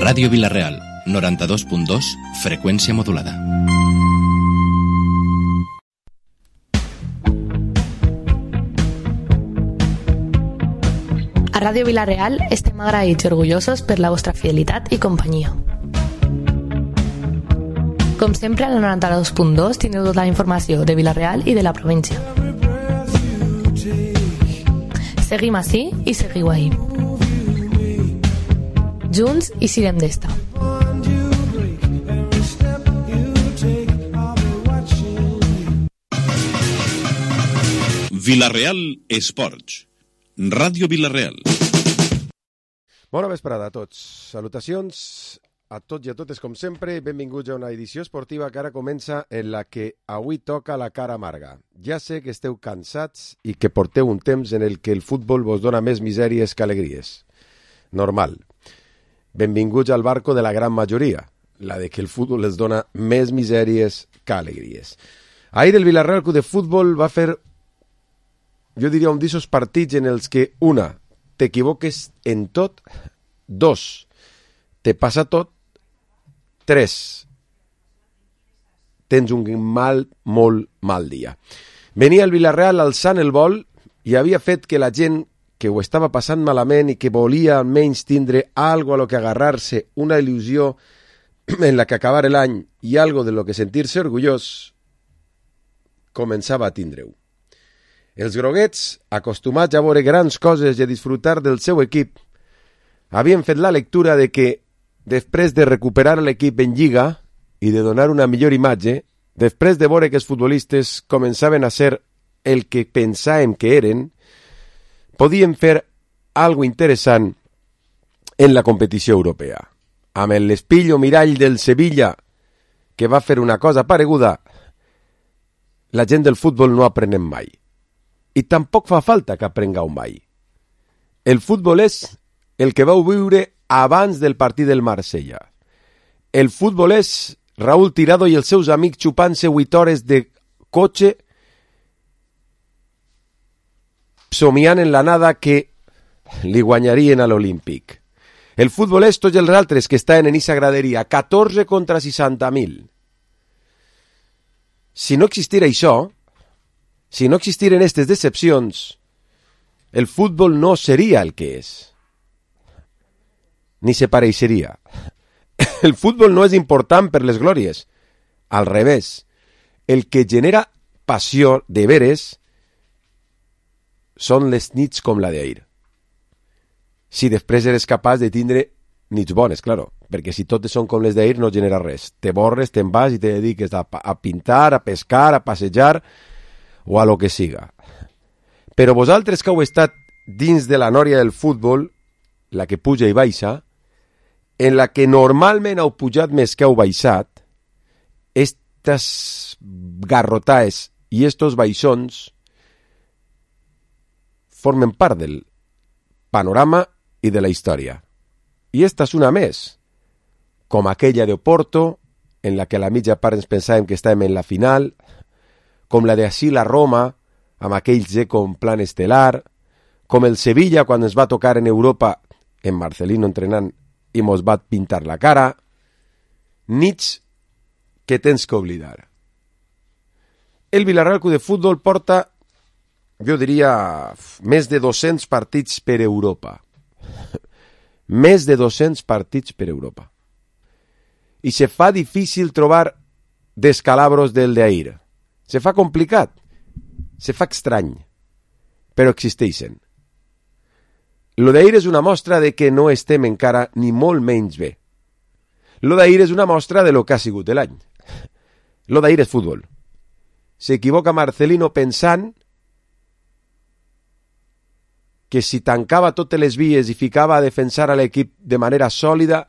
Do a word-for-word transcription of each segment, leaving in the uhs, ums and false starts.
Ràdio Vila-real, noranta-dos punt dos, freqüència modulada. A Ràdio Vila-real estem agraïts i orgullosos per la vostra fidelitat i companyia. Com sempre, a la noranta-dos punt dos tindreu tota la informació de Vila-real i de la província. Seguim ací i seguiu ahí. Junts i sirem d'esta. Vila-real Esports. Ràdio Vila-real. Bona vesprada a tots. Salutacions a tots i a totes com sempre. Benvinguts a una edició esportiva que ara comença en la que avui toca la cara amarga. Ja sé que esteu cansats i que porteu un temps en el que el futbol vos dona més misèries que alegries. Normal. Benvinguts al barco de la gran majoria, la de que el futbol els dona més misèries que alegries. Ahir el Vila-real Club de Futbol va fer, jo diria, un d'aquests partits en els que, una, t'equivoques en tot, dos, te passa tot, tres, tens un mal, molt mal dia. Venia el Vila-real alçant el vol i havia fet que la gent que ho estava passant malament i que volia almenys tindre algo a lo que agarrar-se, una il·lusió en la que acabar l'any i algo de lo que sentir-se orgullós, començava a tindre-ho. Els groguets, acostumats a veure grans coses i a disfrutar del seu equip, havien fet la lectura de que, després de recuperar l'equip en Lliga i de donar una millor imatge, després de veure que els futbolistes començaven a ser el que pensàvem que eren, podien fer algo interessant en la competició europea. Amb l'espillo mirall del Sevilla, que va fer una cosa pareguda, la gent del futbol no aprenem mai. I tampoc fa falta que aprengueu mai. El futbol és el que vau viure abans del partit del Marsella. El futbol és Raúl Tirado i els seus amics xupant-se vuit hores de cotxe somiant en la nada que li guanyarien a l'Olímpic. El futbol és tots els altres que estaven en aquesta graderia, catorze contra seixanta mil. Si no existira això, si no existiren aquestes decepcions, el futbol no seria el que és. Ni se pareixeria. El futbol no és important per les glòries. Al revés, el que genera passió de veres són les nits com la d'ahir. Si després eres capaç de tindre nits bones, claro, perquè si totes són com les d'ahir no genera res. Te borres, te'n vas i te dediques a, a pintar, a pescar, a passejar o a lo que siga. Però vosaltres que heu estat dins de la nòria del futbol, la que puja i baixa, en la que normalment heu pujat més que heu baixat, estas garrotaes i estos baixons formen part del panorama i de la història. I esta és una més, com aquella d'Oporto, en la que a la mitja part ens pensàvem que estàvem en la final, com la de Asil a Roma, amb aquell Dzeko en plan estel·lar, com el Sevilla quan ens va tocar en Europa, en Marcelino entrenant, i mos va pintar la cara, nits que tens que oblidar. El Vila-real Club de Futbol porta, jo diria, més de dos-cents partits per Europa. Més de dos-cents partits per Europa. I se fa difícil trobar descalabros del d'ahir. Se fa complicat. Se fa estrany. Però existeixen. Lo d'ahir és una mostra de que no estem encara ni molt menys bé. Lo d'ahir és una mostra de lo que ha sigut l'any. Lo d'ahir és futbol. S'equivoca Marcelino pensant que si tancava totes les vies i ficava a defensar a l'equip de manera sòlida,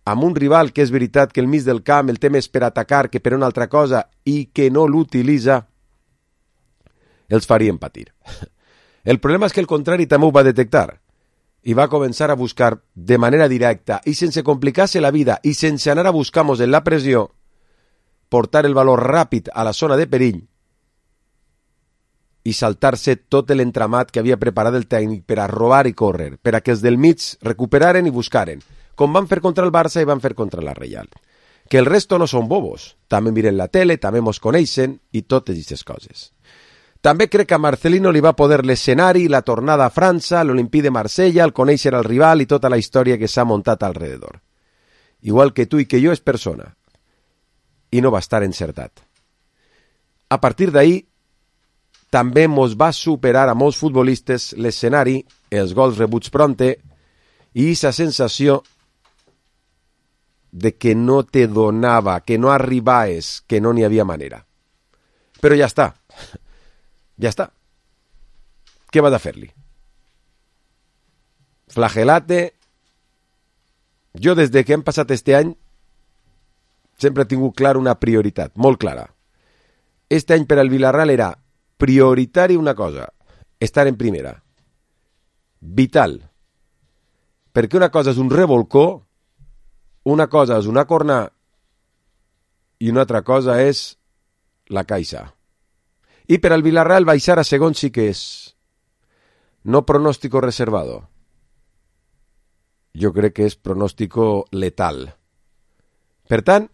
amb un rival que és veritat que el mig del camp el té més per atacar que per una altra cosa i que no l'utilitza, els farien patir. El problema és que el contrari també ho va detectar i va començar a buscar de manera directa i sense complicar-se la vida i sense anar a buscar-nos en la pressió, portar el valor ràpid a la zona de perill i saltar-se tot l'entramat que havia preparat el tècnic per a robar i córrer, per a que els del mig recuperaren i buscaren, com van fer contra el Barça i van fer contra la Reial. Que el resto no són bobos, també miren la tele, també mos coneixen i totes aquestes coses. També crec que a Marcelino li va poder l'escenari, la tornada a França, l'Olimpí de Marsella, el conèixer el rival i tota la història que s'ha muntat alrededor. Igual que tu i que jo és persona. I no va estar encertat. A partir d'ahir, també mos va superar a molts futbolistes l'escenari, els gols rebuts pronte i aquesta sensació de que no te donava, que no arribaves, que no n'hi havia manera. Però ja està. Ja està. Què va de fer-li? Flagelate. Jo, des de que hem passat este any, sempre he tingut clar una prioritat, molt clara. Este any per al Villarreal era prioritari una cosa, estar en primera. Vital. Perquè una cosa és un revolcó, una cosa és una corna i una altra cosa és la caixa. I per al Villarreal baixar a segon sí que és no pronóstico reservado. Jo crec que és pronóstico letal. Per tant,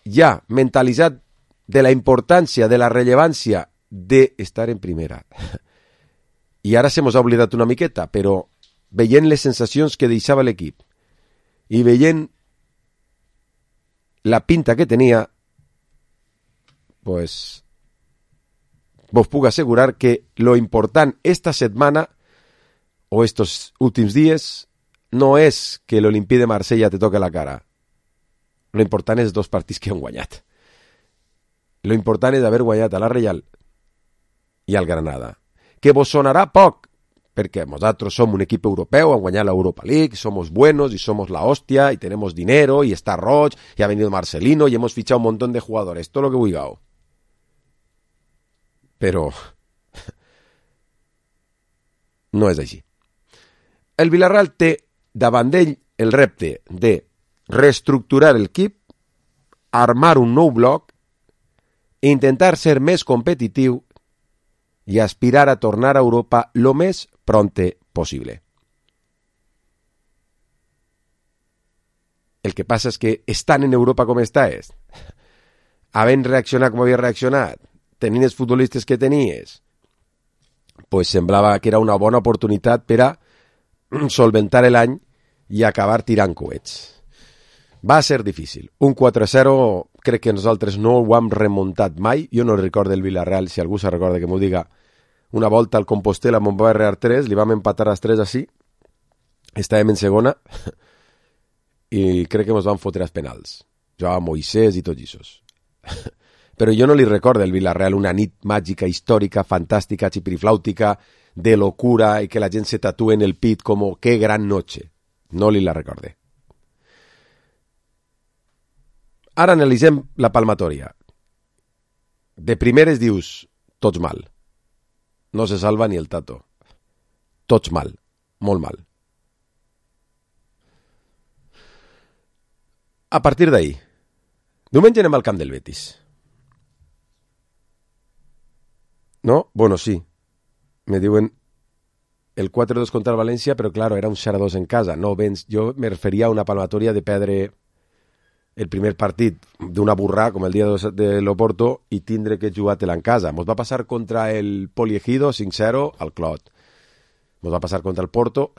ja mentalitzat de la importància, de la rellevància d'estar en primera. I ara se mos ha oblidat una miqueta, però veient les sensacions que deixava l'equip i veient la pinta que tenia, pues vos puc assegurar que lo important esta setmana o estos últims dies no és que l'Olimpí de Marsella te toque la cara. Lo important és dos partits que han guanyat. Lo important és haver guanyat a la Reial i al Granada. Que vos sonarà poc, perquè nosaltres som un equip europeu, han guanyat l'Europa League, somos buenos y somos la hostia y tenemos dinero y está Roig y ha venido Marcelino y hemos fichado un montón de jugadores, todo lo que vulgueu. Però no és així. El Villarreal té davant d'ell el repte de reestructurar el equip, armar un nou bloc, intentar ser més competitiu i aspirar a tornar a Europa lo més pronte possible. El que passa és que estan en Europa com està és, havent reaccionat com havia reaccionat, tenint els futbolistes que tenies, pues semblava que era una bona oportunitat per a solventar l'any i acabar tirant coets. Va ser difícil. Un quatre a zero crec que nosaltres no ho hem remuntat mai. Jo no recordo el Villarreal, si algú se recorda que m'ho diga. Una volta al Compostela m'ho va arrear tres, li vam empatar als tres així, estàvem en segona i crec que ens van fotre als penals. Jugava Moisés i tots aquests. Però jo no li recordo el Villarreal una nit màgica, històrica, fantàstica, xipiriflàutica, de locura i que la gent se tatúe en el pit com que gran noche. No li la recorde. Ara analitzem la palmatòria. De primeres dius, tots mal. No se salva ni el Tato. Tots mal. Molt mal. A partir d'ahí, diumenge anem al camp del Betis. No? Bueno, sí. Me diuen el quatre dos contra el València, però claro, era un zero dos en casa. No vens, jo me referia a una palmatòria de perdre el primer partit d'una burrà, com el dia de l'Oporto, i tindre que jugar-te-la en casa. Mos va passar contra el Poliegido cinc zero al Clot. Mos va passar contra el Porto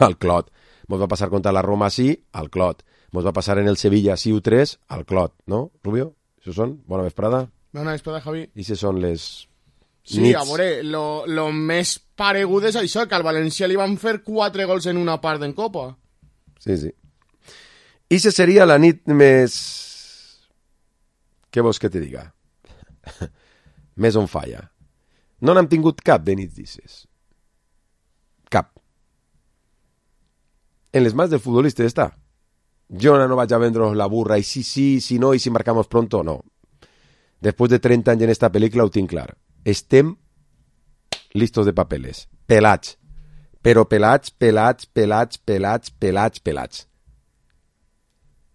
al Clot. Mos va passar contra la Roma sí al Clot. Mos va passar en el Sevilla sí u tres al Clot, no, Rubio? Això són? Bona vesprada. Bona vesprada, Javi. I això són les... Sí, nits. A veure, lo, lo més paregut és això, que al València li van fer quatre gols en una part en Copa. Sí, sí. I se seria la nit més... Què vols que te diga? Més on falla. No n'hem tingut cap de nits dices. Cap. En les mans del futbolista està. Jo no vaig a vendre'ls la burra i sí, sí, si no, i si marcamos pronto, no. Després de trenta anys en esta pel·lícula ho tinc clar. Estem listos de papeles. Pelats. Però pelats, pelats, pelats, pelats, pelats, pelats.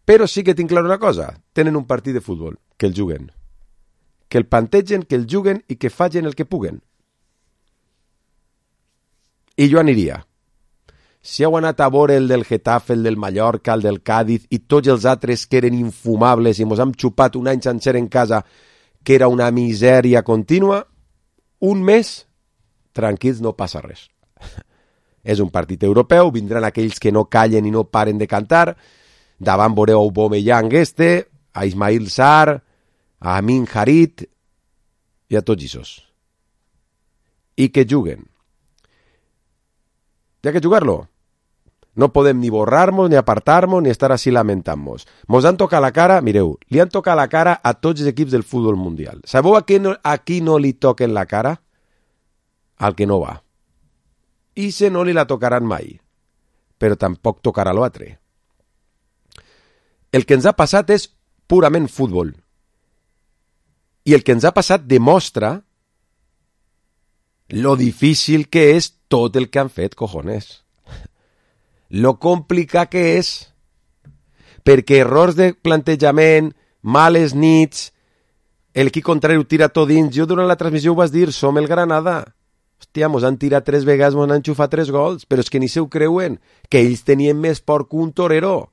Però sí que tinc clar una cosa. Tenen un partit de futbol, que el juguen. que el plantegen, que el juguen i que facin el que puguen. I jo aniria. Si heu anat a veure el del Getafe, el del Mallorca, el del Cádiz i tots els altres que eren infumables i mos hem xupat un any sencer en casa que era una misèria contínua, un mes, tranquils, no passa res. És un partit europeu, vindran aquells que no callen i no paren de cantar, davant veureu Aubameyang este, a Ismail Sarr, a Amin Harit i a tots aquests. I que juguen. Hi ha que jugar-lo. No podem ni borrar-nos, ni apartar-nos, ni estar així lamentant-nos. Mos han tocat la cara, mireu, li han tocat la cara a tots els equips del futbol mundial. Sabeu a qui no, a qui no li toquen la cara? Al que no va. I se no li la tocaran mai. Però tampoc tocarà l'altre. El que ens ha passat és purament futbol. I el que ens ha passat demostra lo difícil que és tot el que han fet, cojones. Lo complicat que és. Perquè errors de plantejament, males nits, el equip contrari ho tira tot dins. Jo durant la transmissió ho vas dir, som el Granada. Hòstia, mos han tirat tres vegades, mos han enxufat tres gols, però és que ni se ho creuen, que ells tenien més por que un torero.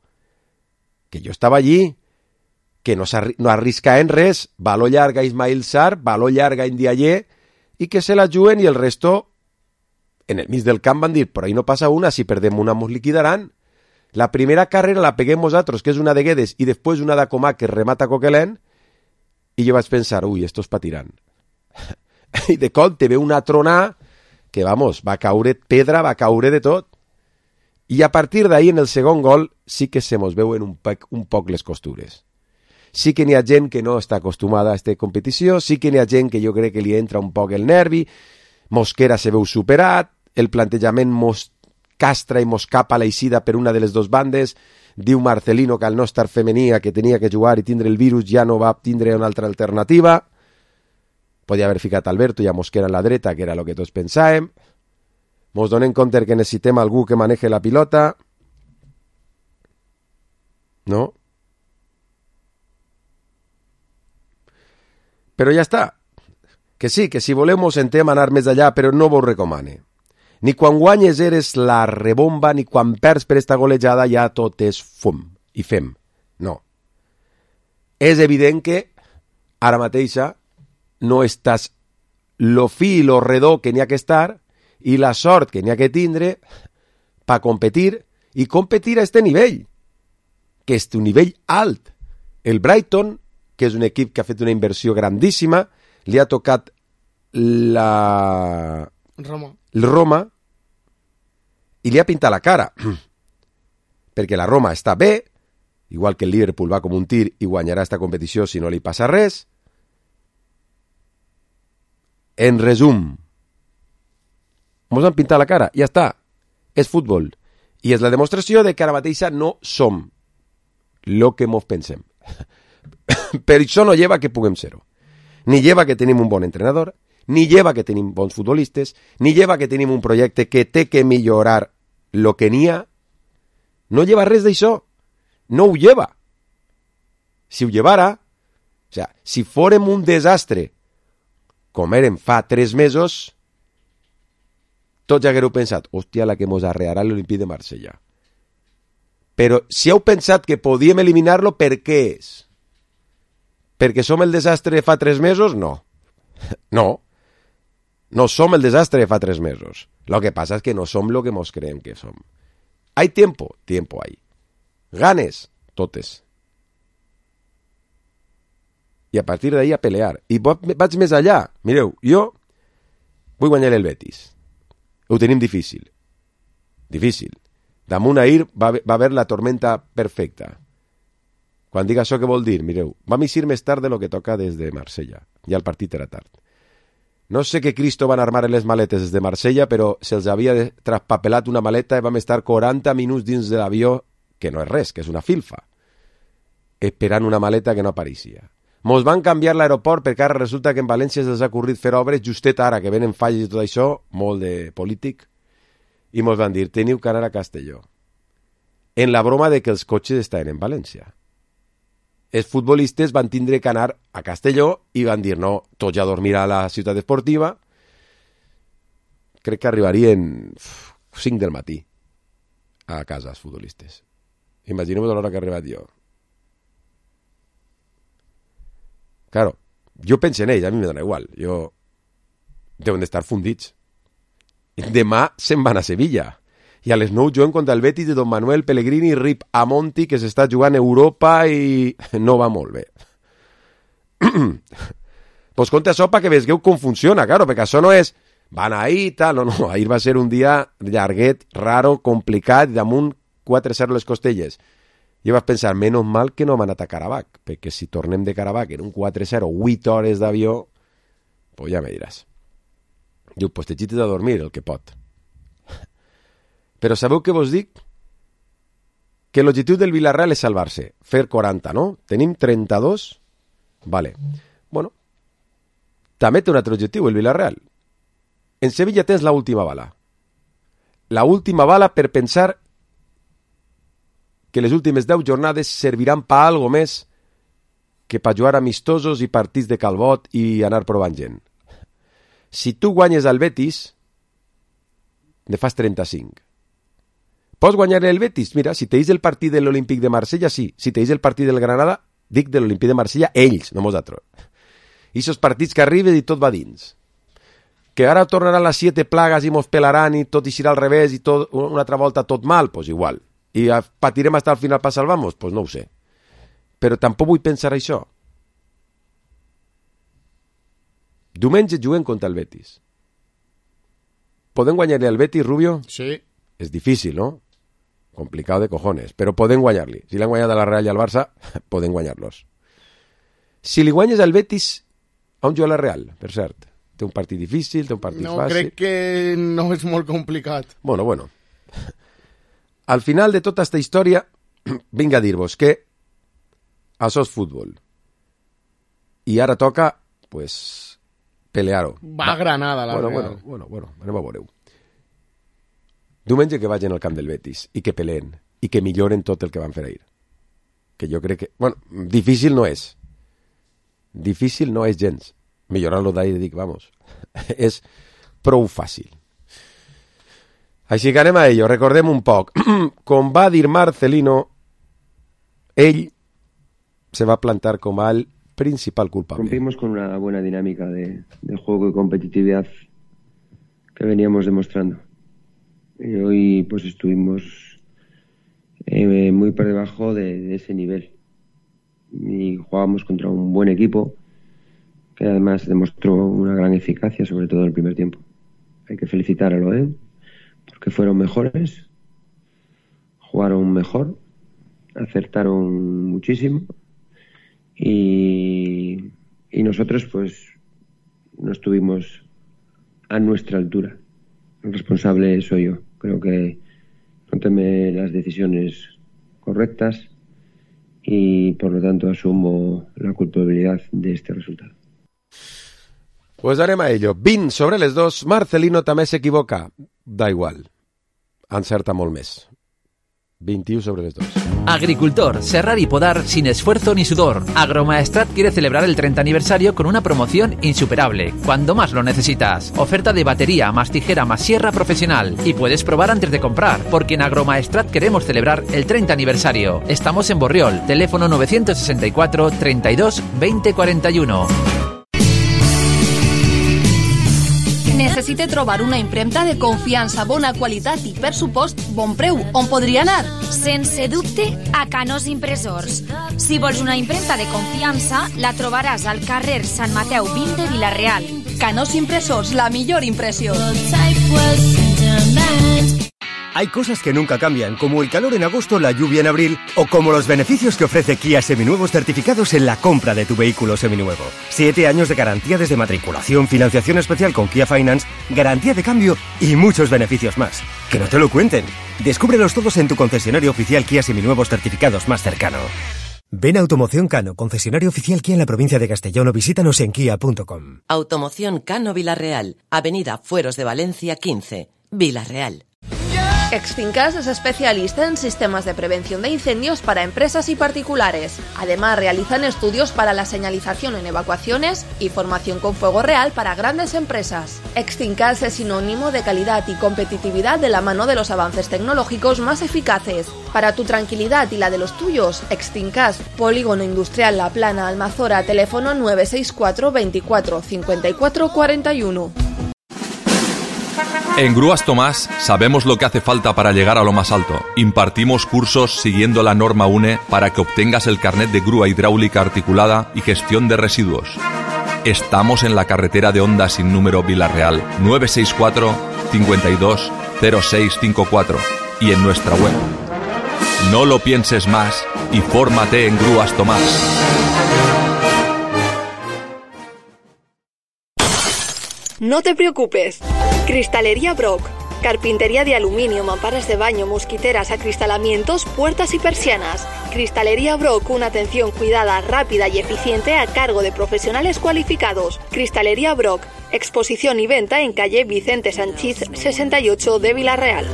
Que jo estava allí, que no, no arriscaven res, baló llarga Ismail Sarr, baló llarga Ndiaye, i que se la juguen i el resto, en el mig del camp van dir, però ahí no passa una, si perdem una mos liquidaran. La primera carrera la peguem nosaltres, que és una de Guedes, i després una de Comà, que remata Coquelin, i jo vaig pensar, ui, estos patiran. I de cop te ve una tronà, que vamos, va caure pedra, va caure de tot. I a partir d'ahí, en el segon gol, sí que se mos veuen un poc, un poc les costures. Sí que n'hi ha gent que no està acostumada a aquesta competició, sí que n'hi ha gent que jo crec que li entra un poc el nervi, Mosquera se veu superat, el plantejament mos castra i mos capa l'eixida per una de les dues bandes, diu Marcelino que al no estar femenia, que tenia que jugar i tindre el virus, ja no va tindre una altra alternativa. Podia haver ficat Alberto i a Mosquera en la dreta, que era el que tots pensàvem. Mos donem compte que necessitem algú que maneje la pilota. No? Però ja està. Que sí, que si voleu mos sentem anar més allà, però no vos recomane. Ni quan guanyes eres la rebomba, ni quan perds per esta golejada ja tot és fum i fem. No. És evident que ara mateixa no estàs lo fi i lo redó que n'hi ha que estar i la sort que n'hi ha que tindre per competir i competir a este nivell, que és un nivell alt. El Brighton, que és un equip que ha fet una inversió grandíssima, li ha tocat la... Roma. el Roma i li ha pintat la cara perquè la Roma està bé, igual que el Liverpool va com un tir i guanyarà esta competició si no li passa res. En resum, mos han pintat la cara, ja està, és futbol i és la demostració de que ara mateixa no som lo que mos pensem. Per això no lleva que puguem ser-ho, ni lleva que tenim un bon entrenador, ni lleva que tenim bons futbolistes, ni lleva que tenim un projecte que té que millorar lo que n'hi ha. No lleva res d'això. No ho lleva. Si ho llevara, o sea, si fórem un desastre com érem fa tres mesos, tots ja haguereu pensat, hòstia, la que mos arrearà l'Olimpí de Marsella. Però si heu pensat que podíem eliminar-lo, per què és? Perquè som el desastre de fa tres mesos? No. No. No som el desastre de fa tres mesos. Lo que pasa es que no som lo que mos creem que som. Hay tiempo? Tiempo hay. Ganes? Totes. I a partir d'ahí a pelear. I vaig més allà. Mireu, jo vull guanyar el Betis. Ho tenim difícil. Difícil. Damunt ahir va, va haver la tormenta perfecta. Quan dic això, què vol dir? Mireu, vam eixir més tard de lo que toca des de Marsella. Ja el partit era tard. No sé què Cristo van armar en les maletes des de Marsella, però se'ls havia traspapelat una maleta i vam estar quaranta minuts dins de l'avió, que no és res, que és una filfa, esperant una maleta que no apareixia. Mos van canviar l'aeroport perquè ara resulta que en València se'ls ha ocorrit fer obres justet ara, que venen falles i tot això, molt de polític, i mos van dir, teniu que anar a Castelló. En la broma de que els cotxes estaven en València. els futbolistes van tindre que anar a Castelló i van dir, no, tots ja a dormir a la ciutat esportiva. Crec que arribarien cinc del matí a casa els futbolistes. Imagineu-vos l'hora que he arribat jo. Claro, jo penso en ells, a mi me dona igual. Jo... Deuen d'estar fundits. Demà se'n van a Sevilla. I a les nou juguen contra el Betis de Don Manuel Pellegrini i Rip Amonti, que s'està jugant a Europa i no va molt bé. Pues conta això perquè veieu com funciona, claro, perquè això no és van ahir, tal, no, no, ahir va ser un dia llarguet, raro, complicat, damunt quatre zero les costelles. Jo vaig pensar, menys mal que no hem anat a Caravac, perquè si tornem de Caravac en un quatre zero, vuit hores d'avió, pues ja me diràs. Diu, pues te xites a dormir el que pot. Però sabeu què vos dic? Que l'objectiu del Villarreal és salvar-se. Fer quaranta, no? Tenim trenta-dos? Vale. Bueno, també té un altre objectiu, el Villarreal. En Sevilla tens la última bala. La última bala per pensar que les últimes deu jornades serviran per algo més que per jugar amistosos i partits de calbot i anar provant gent. Si tu guanyes al Betis, ne fas trenta-cinc. Pots guanyar el Betis? Mira, si teis el partit de l'Olímpic de Marsella, sí. Si teis el partit del Granada, dic de l'Olímpic de Marsella, ells, no nosaltres. I aquests partits que arriben i tot va dins. Que ara tornaran les siete plagues i mos pelaran i tot eixirà al revés i tot, una altra volta tot mal, doncs pues igual. I patirem hasta el final per salvar-nos? Doncs pues no ho sé. Però tampoc vull pensar això. Diumenge juguem contra el Betis. Podem guanyar-li al Betis, Rubio? Sí. És difícil, no? Complicado de cojones, però podem guanyar-li. Si l'han guanyat a la Real i al Barça, podem guanyar-los. Si li guanyes al Betis, on juga la Real, per cert? Té un partit difícil, té un partit no, fàcil... No, crec que no és molt complicat. Bueno, bueno. Al final de tota aquesta història, vinc a dir-vos que això és futbol. I ara toca, pues, pelear-ho. Va a Granada, la bueno, Real. Bueno, bueno, bueno, anem a veure-ho. Diumenge que vagin al camp del Betis i que peleen i que milloren tot el que van fer ahir. Que jo crec que... Bueno, difícil no és. Difícil no és gens. Millorar-lo d'ahir, dic, vamos. És prou fàcil. Així que anem a ello. Recordem un poc. Com va dir Marcelino, ell se va plantar com el principal culpable. Rompimos con una buena dinámica de, de juego y competitividad que veníamos demostrando. Y hoy pues estuvimos eh, muy por debajo de, de ese nivel. Y jugábamos contra un buen equipo que además demostró una gran eficacia, sobre todo en el primer tiempo. Hay que felicitar a Loé porque fueron mejores, jugaron mejor, acertaron muchísimo y, y nosotros pues no estuvimos a nuestra altura. El responsable soy yo. Creo que no tomé las decisiones correctas y por lo tanto asumo la culpabilidad de este resultado. Pues anem a ello. vint sobre les dos. Marcelino també s'equivoca. Da igual. Encerta molt més. veintiuno sobre les dos. Agricultor, serrar y podar sin esfuerzo ni sudor. Agromaestrat quiere celebrar el treinta aniversario con una promoción insuperable, cuando más lo necesitas. Oferta de batería más tijera más sierra profesional. Y puedes probar antes de comprar, porque en Agromaestrat queremos celebrar el treinta aniversario. Estamos en Borriol, teléfono nueve seis cuatro, treinta y dos, veinte cuarenta y uno. Necessite trobar una impremta de confiança, bona qualitat i, per supost, bon preu. On podria anar? Sense dubte, a Canós Impressors. Si vols una impremta de confiança, la trobaràs al carrer Sant Mateu vint de Vila-real. Canós Impressors, la millor impressió. Hay cosas que nunca cambian, como el calor en agosto, la lluvia en abril, o como los beneficios que ofrece Kia Seminuevos certificados en la compra de tu vehículo seminuevo. Siete años de garantía desde matriculación, financiación especial con Kia Finance, garantía de cambio y muchos beneficios más. Que no te lo cuenten. Descúbrelos todos en tu concesionario oficial Kia Seminuevos certificados más cercano. Ven a Automoción Cano, concesionario oficial Kia en la provincia de Castellón, o visítanos en kia punto com. Automoción Cano Vila-real, Avenida Fueros de Valencia quince, Vila-real. Extincas es especialista en sistemas de prevención de incendios para empresas y particulares. Además, realizan estudios para la señalización en evacuaciones y formación con fuego real para grandes empresas. Extincas es sinónimo de calidad y competitividad de la mano de los avances tecnológicos más eficaces. Para tu tranquilidad y la de los tuyos, Extincas, Polígono Industrial La Plana, Almazora, teléfono nueve seis cuatro veinticuatro cincuenta y cuatro cuarenta y uno. En Grúas Tomás sabemos lo que hace falta para llegar a lo más alto. Impartimos cursos siguiendo la norma U N E para que obtengas el carnet de grúa hidráulica articulada y gestión de residuos. Estamos en la carretera de Honda sin número Vila-real, nueve seis cuatro cincuenta y dos cero seis cincuenta y cuatro y en nuestra web. No lo pienses más y fórmate en Grúas Tomás. No te preocupes. Cristalería Brock. Carpintería de aluminio, mamparas de baño, mosquiteras, acristalamientos, puertas y persianas. Cristalería Brock, una atención cuidada, rápida y eficiente a cargo de profesionales cualificados. Cristalería Brock. Exposición y venta en calle Vicente Sanchís sesenta y ocho de Vila-real.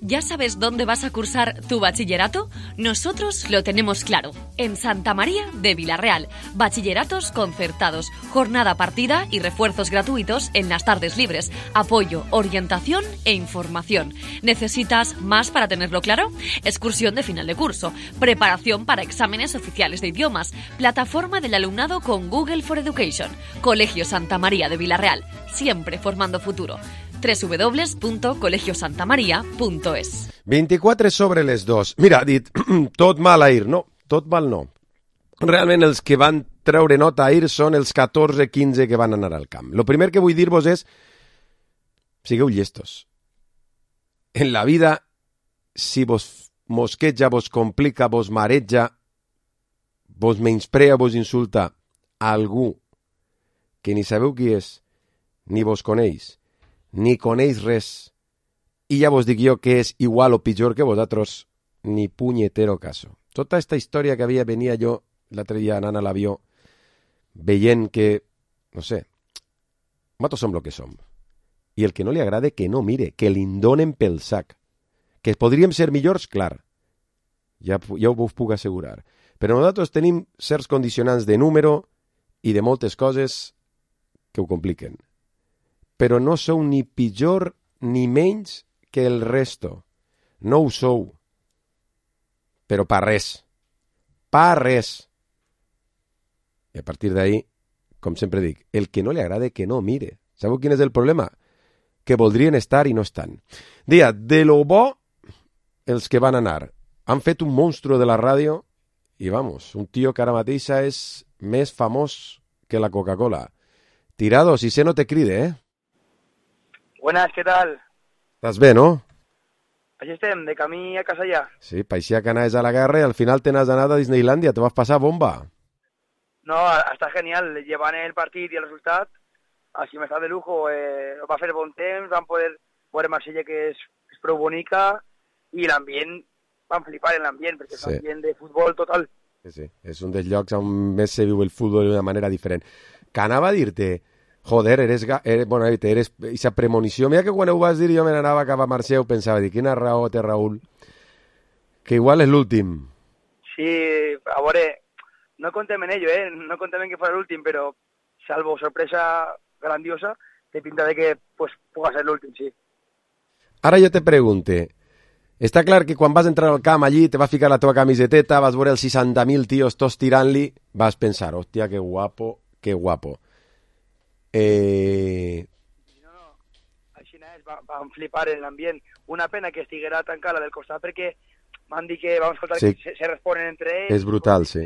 ¿Ya sabes dónde vas a cursar tu bachillerato? Nosotros lo tenemos claro. En Santa María de Vila-real. Bachilleratos concertados, jornada partida y refuerzos gratuitos en las tardes libres. Apoyo, orientación e información. ¿Necesitas más para tenerlo claro? Excursión de final de curso. Preparación para exámenes oficiales de idiomas. Plataforma del alumnado con Google for Education. Colegio Santa María de Vila-real. Siempre formando futuro. doble u doble u doble u punto colegio santa maria punto es. vint-i-quatre sobre les dos. Mira, ha dit, tot mal a Ir. No, tot mal no. Realment els que van treure nota a Ir són els catorze quinze que van anar al camp. Lo primer que vull dir-vos és, sigueu llestos. En la vida, si vos mosqueja, vos complica, vos mareja, vos menysprea, vos insulta a algú que ni sabeu qui és, ni vos coneix, ni coneix res, i ja vos dic jo que és igual o pitjor que vosaltres, ni punyetero caso. Tota esta història que havia, venia jo l'altre dia anant a l'avió, veient que, no sé, nosaltres som el que som. I el que no li agrada que no mire, que li donen pel sac. Que podríem ser millors, clar, ja, ja ho us puc assegurar. Però nosaltres tenim certs condicionants de número i de moltes coses que ho compliquen. Però no sou ni pitjor ni menys que el resto. No ho sou. Però pa res. Pa res. I a partir d'ahí, com sempre dic, el que no li agrada que no mire. Sabeu quin és el problema? Que voldrien estar i no estan. Dia, de lo bo, els que van anar. Han fet un monstru de la ràdio i, vamos, un tio que ara mateixa és més famós que la Coca-Cola. Tirado, si sé no te cride, eh? Buenas, ¿qué tal? Estàs bé, no? Així estem, de camí a casa ja. Sí, paixia que anaves a la guerra i al final te n'has anat a Disneylandia, te vas passar bomba. No, està genial, llevant el partit i el resultat, així m'està de lujo, eh, va fer bon temps, vam poder veure Marsella, que és, és prou bonica, i l'ambient, vam flipar en l'ambient, perquè és un ambient de futbol total. Sí, sí, és un dels llocs on més se viu el futbol d'una manera diferent. Que anava a dir-te, joder, eres, eres, bueno, eres esa premonició. Mira que quan ho vas dir jo me n'anava cap a Marxeu, pensava, dir, quina raó té Raül, que igual és l'últim. Sí, a veure, no contem en ello, eh? No contem en que fos l'últim, però salvo sorpresa grandiosa, té pinta de que pues, puga ser l'últim, sí. Ara jo te pregunte, està clar que quan vas entrar al camp allí, te vas ficar la teva camiseteta, vas veure els seixanta mil tios tots tirant-li, vas pensar, hòstia, que guapo, que guapo. Eh... No, no, així és, va, vam flipar en l'ambient. Una pena que estiguera tancada del costat perquè m'han dit que vam escoltar sí. que se, se responen entre ells. És brutal, sí.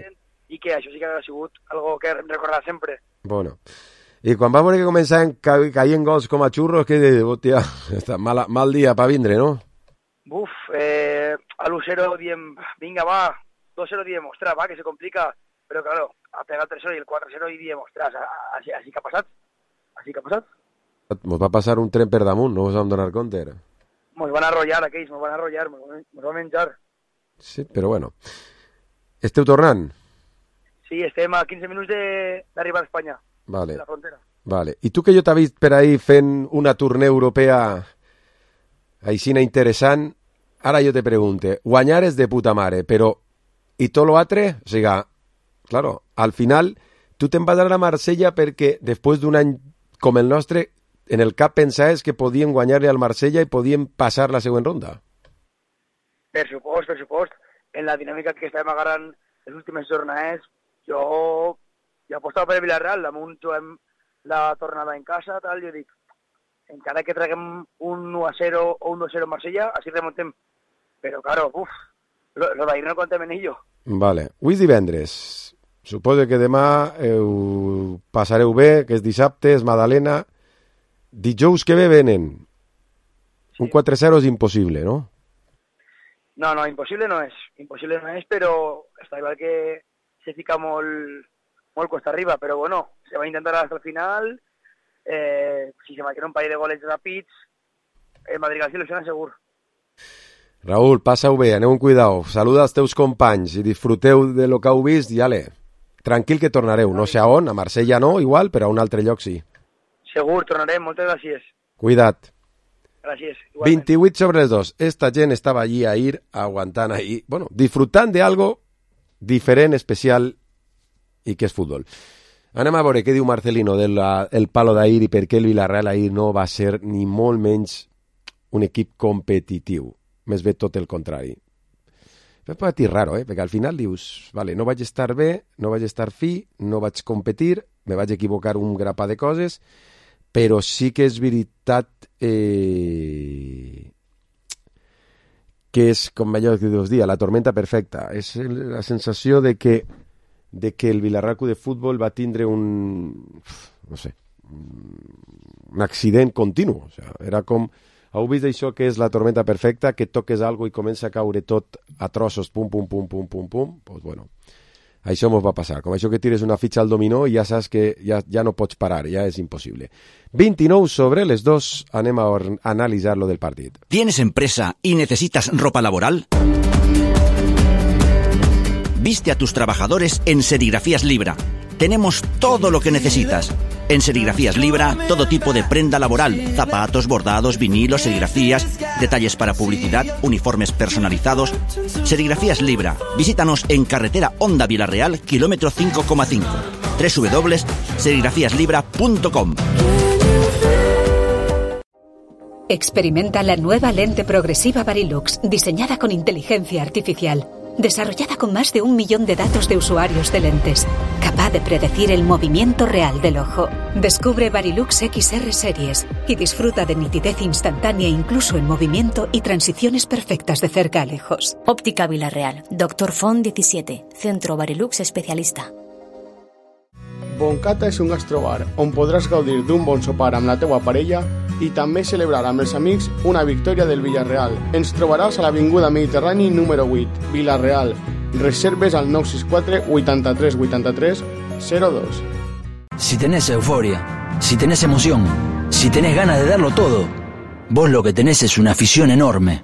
I que això sí que ha sigut algo que recordar sempre. Bueno, i quan va veure que començaven ca caient gols com a xurros, que hòstia, mal, mal dia per vindre, no? Buf, eh, a l'u zero diem, vinga va, dos zero diem, ostres, va, que se complica, però claro, a pegar el tres zero i el quatre zero i diem, ostres, així, així que ha passat. Així que ha passat. Mos va passar un tren per damunt, no us vam donar compte. Mos van arrollar aquells, mos van arrollar, mos, mos van menjar. Sí, però bueno. Esteu tornant? Sí, estem a quinze minuts d'arribar a Espanya, vale. de la frontera. Vale. I tu que jo t'ha vist per ahí fent una tournée europea aixina interessant. Ara jo te pregunte, guanyar és de puta mare, però i tot lo altre? O sigui, claro, al final tu te'n vas a la Marsella perquè després d'un any com el nostre, en el cap pensaves que podien guanyar-li al Marsella i podien passar la següent ronda. Per supost, per supost. En la dinàmica que estàvem agarrant les últimes jornades, jo, jo apostava per el Villarreal, damunt juguem la tornada en casa, tal, jo dic, encara que traguem un u a zero o un dos a zero en Marsella, així remontem. Però, claro, uf, lo, lo d'ahir no contem en ello. Vale. Avui és divendres. Suposo que demà heu... passareu bé, que és dissabte, és Madalena. Dijous que ve venen. Sí. Un quatre a zero és impossible, no? No, no, imposible no és. Imposible no és, però està igual que se fica molt, molt costa arriba, però bueno, se va a intentar hasta el final. Eh, si se marquen un parell de goles ràpids, el Madrid al il·lusiona segur. Raúl, passa-ho bé, aneu amb cuidao. Saluda als teus companys i disfruteu de lo que heu vist i ale. Tranquil que tornareu, no sé a on, a Marsella no, igual, però a un altre lloc sí. Segur, tornarem, moltes gràcies. Cuida't. Gràcies. vint-i-vuit sobre les dos. Esta gent estava allí a ir, aguantant ahí, bueno, disfrutant de algo diferent, especial i que és futbol. Anem a veure què diu Marcelino del el palo d'ahir i per què el Villarreal ahir no va ser ni molt menys un equip competitiu. Més bé tot el contrari. És un patir raro, eh? Perquè al final dius, vale, no vaig estar bé, no vaig estar fi, no vaig competir, me vaig equivocar un grapat de coses, però sí que és veritat eh, que és, com allò que us dia, la tormenta perfecta. És la sensació de que, de que el Villarreal de futbol va tindre un, no sé, un accident continu. O sigui, era com... Heu vist això que és la tormenta perfecta, que toques algo i comença a caure tot a trossos, pum, pum, pum, pum, pum, pum? Pues bueno, això mos va passar. Com això que tires una fitxa al dominó i ja saps que ja, ja no pots parar, ja és impossible. vint-i-nou sobre les dos, anem a analitzar lo del partit. ¿Tienes empresa y necesitas ropa laboral? Viste a tus trabajadores en Serigrafías Libra. Tenemos todo lo que necesitas. En Serigrafías Libra, todo tipo de prenda laboral, zapatos, bordados, vinilos, serigrafías, detalles para publicidad, uniformes personalizados. Serigrafías Libra. Visítanos en carretera Honda Villarreal, kilómetro cinco coma cinco. doble u doble u doble u punto serigrafías libra punto com. Experimenta la nueva lente progresiva Varilux, diseñada con inteligencia artificial. Desarrollada con más de un millón de datos de usuarios de lentes, capaz de predecir el movimiento real del ojo. Descubre Varilux X R Series y disfruta de nitidez instantánea incluso en movimiento y transiciones perfectas de cerca a lejos. Óptica Villarreal, Doctor Font diecisiete, Centro Varilux especialista. Boncata és un gastrobar on podràs gaudir d'un bon sopar amb la teua parella i també celebrar amb els amics una victòria del Villarreal. Ens trobaràs a l'Avinguda Mediterrani número vuit, Villarreal. Reserves al nou sis quatre, vuitanta-tres, vuitanta-tres, zero dos. Si tenés euforia, si tenés emoción, si tenés ganas de darlo todo, vos lo que tenés es una afición enorme.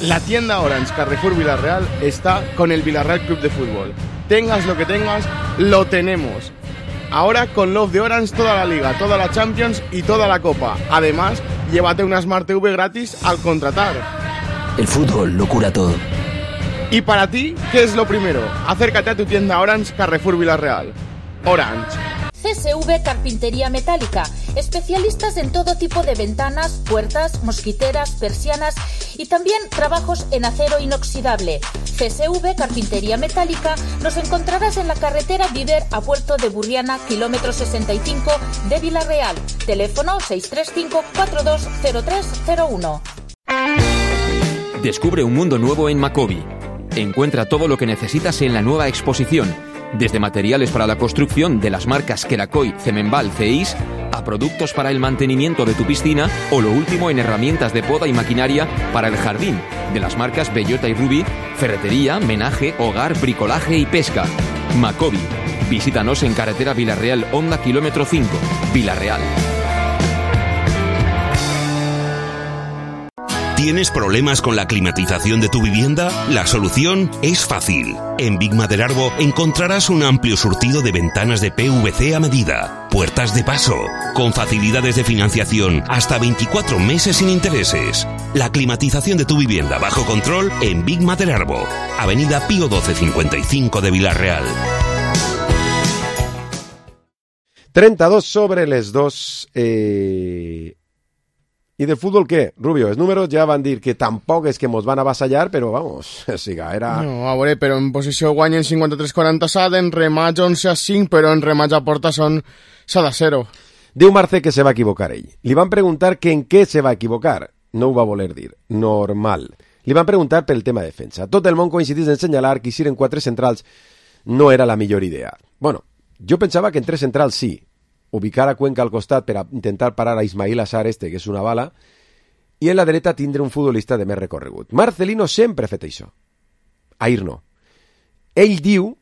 La tienda Orange Carrefour Villarreal está con el Villarreal Club de Fútbol. Tengas lo que tengas, lo tenemos. Ahora con Love de Orange toda la Liga, toda la Champions y toda la Copa. Además, llévate una Smart T V gratis al contratar. El fútbol lo cura todo. Y para ti, ¿qué es lo primero? Acércate a tu tienda Orange Carrefour Villarreal. Orange. C S V Carpintería Metálica, especialistas en todo tipo de ventanas, puertas, mosquiteras, persianas y también trabajos en acero inoxidable. C S V Carpintería Metálica nos encontrarás en la carretera Viver a Puerto de Burriana, kilómetro sesenta y cinco de Villarreal. Teléfono seis tres cinco, cuatro dos cero tres cero uno. Descubre un mundo nuevo en Macobi. Encuentra todo lo que necesitas en la nueva exposición. Desde materiales para la construcción de las marcas Kerakoy, Cemenbal, Ceis, a productos para el mantenimiento de tu piscina o lo último en herramientas de poda y maquinaria para el jardín, de las marcas Bellota y Ruby, ferretería, menaje, hogar, bricolaje y pesca. Macobi. Visítanos en carretera Villarreal Honda kilómetro cinco, Villarreal. ¿Tienes problemas con la climatización de tu vivienda? La solución es fácil. En Big Maderarbo encontrarás un amplio surtido de ventanas de P V C a medida, puertas de paso, con facilidades de financiación hasta veinticuatro meses sin intereses. La climatización de tu vivienda bajo control en Big Materarbo. Avenida Pío doce cincuenta y cinco de Villarreal. trenta y dos sobre les dos. Eh... I del futbol què? Rubio, els números ja van dir que tampoc és que mos van avassallar, però vamos, siga, era... No, a veure, però en posició guanyen cinquanta-tres quaranta-set, en rematch onze a cinc, però en rematch a porta són set a zero. Diu Marce que se va equivocar ell. Li van preguntar que en què se va equivocar. No ho va voler dir. Normal. Li van preguntar pel tema de defensa. Tot el món coincidís en senyalar que si eren quatre centrals no era la millor idea. Bueno, jo pensava que en tres centrals sí. Ubicar a Cuenca al costat per a intentar parar a Ismail Assar este, que és una bala, i en la dreta tindre un futbolista de més recorregut. Marcelino sempre ha fet això. Ahir no. Ell diu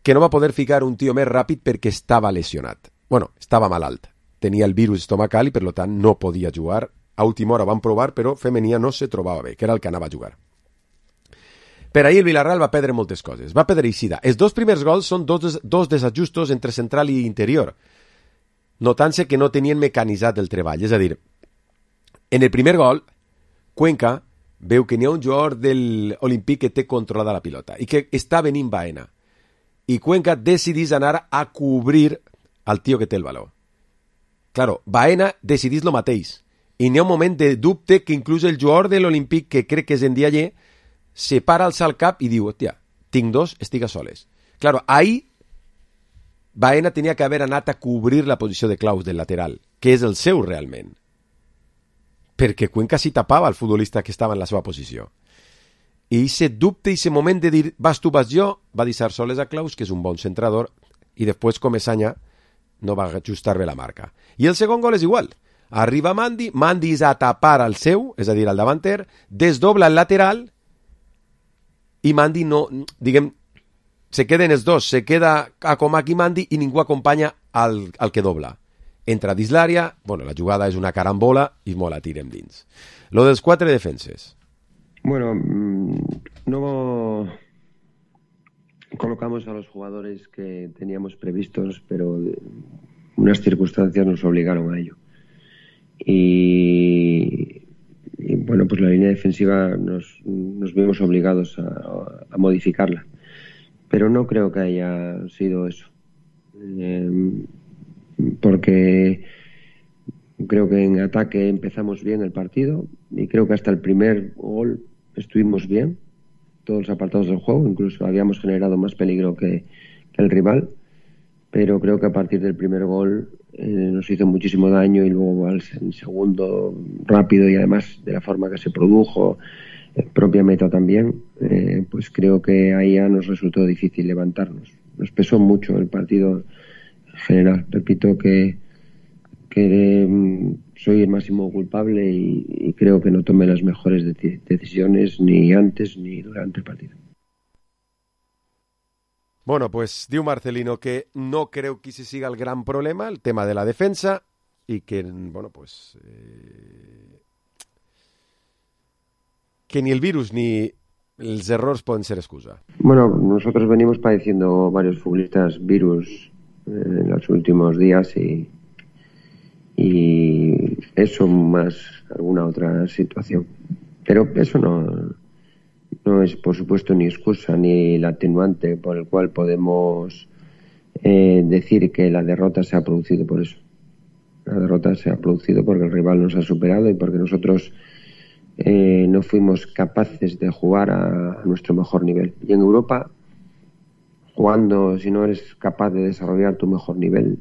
que no va poder ficar un tio més ràpid perquè estava lesionat. Bueno, estava malalt. Tenia el virus estomacal i, per tant, no podia jugar. A última hora van provar, però Femenia no se trobava bé, que era el que anava a jugar. Per ahir el Villarreal va perdre moltes coses. Va perdre Eixida. Els dos primers gols són dos, dos desajustos entre central i interior, notant-se que no tenien mecanitzat el treball. És a dir, en el primer gol, Cuenca veu que n'hi ha un jugador de l'Olímpic que té controlada la pilota i que està venint Baena. I Cuenca decidís anar a cobrir al tio que té el valor. Claro, Baena decidís lo mateix. I n'hi ha un moment de dubte que inclús el jugador de l'Olímpic, que crec que és en Dialler, se para alçar el cap i diu, hòstia, tinc dos, estic a soles. Claro, ahí Baena tenia que haver anat a cobrir la posició de Claus del lateral, que és el seu realment. Perquè Cuenca s'hi tapava el futbolista que estava en la seva posició. I aquest dubte, aquest moment de dir vas tu, vas jo, va deixar soles a Claus, que és un bon centrador, i després Comesaña no va ajustar bé la marca. I el segon gol és igual. Arriba Mandi, Mandi és a tapar al seu, és a dir, al davanter, desdobla el lateral, i Mandi no, diguem, se queden els dos, se queda a Comac i Mandi i ningú acompanya al, al que dobla. Entra dins l'àrea, bueno, la jugada és una carambola i molt la tirem dins. Lo dels quatre defenses. Bueno, no colocamos a los jugadores que teníamos previstos, pero unas circunstancias nos obligaron a ello. Y, y bueno, pues la línea defensiva nos, nos vimos obligados a, a modificarla. Pero no creo que haya sido eso. Eh, porque creo que en ataque empezamos bien el partido y creo que hasta el primer gol estuvimos bien, todos los apartados del juego, incluso habíamos generado más peligro que, que el rival, pero creo que a partir del primer gol eh, nos hizo muchísimo daño y luego al segundo rápido y además de la forma que se produjo, eh, propia meta también, eh, pues creo que ahí ya nos resultó difícil levantarnos. Nos pesó mucho el partido en general. Repito que, que eh, soy el máximo culpable y, y creo que no tomé las mejores de- decisiones ni antes ni durante el partido. Bueno, pues diu Marcelino que no creu que ese siga el gran problema, el tema de la defensa, y que, bueno, pues... Eh, que ni el virus ni els errors poden ser excusa. Bueno, nosotros venimos padeciendo varios futbolistas virus eh, en los últimos días y, y eso más alguna otra situación. Pero eso no, no es, por supuesto, ni excusa ni el atenuante por el cual podemos eh, decir que la derrota se ha producido por eso. La derrota se ha producido porque el rival nos ha superado y porque nosotros eh, no fuimos capaces de jugar a, a nuestro mejor nivel. Y en Europa, jugando, si no eres capaz de desarrollar tu mejor nivel,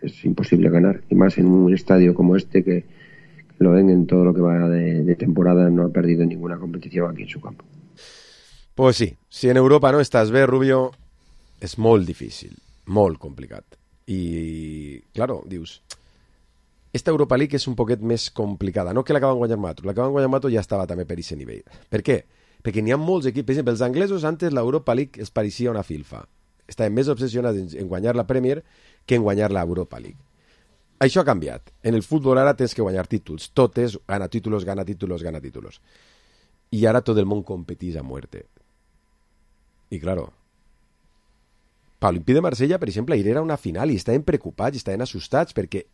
es imposible ganar. Y más en un estadio como este que, que lo ven en todo lo que va de, de temporada, no ha perdido ninguna competición aquí en su campo. Pues sí, si en Europa no estàs bé, Rubio, és molt difícil, molt complicat. I, claro, dius, esta Europa League és un poquet més complicada, no que l'acaben guanyant Mato, l'acaben guanyant Mato ja estava també per aquest nivell. Per què? Perquè n'hi ha molts equips, per exemple, els anglesos antes l'Europa League els pareixia una filfa. Estaven més obsessionats en, en guanyar la Premier que en guanyar l'Europa League. Això ha canviat. En el futbol ara tens que guanyar títols. Tot és gana títulos, gana títulos, gana títulos. I ara tot el món competís a muerte. I claro, L'Olympique de Marsella, per exemple, ahir era una final i estaven preocupats, estaven assustats perquè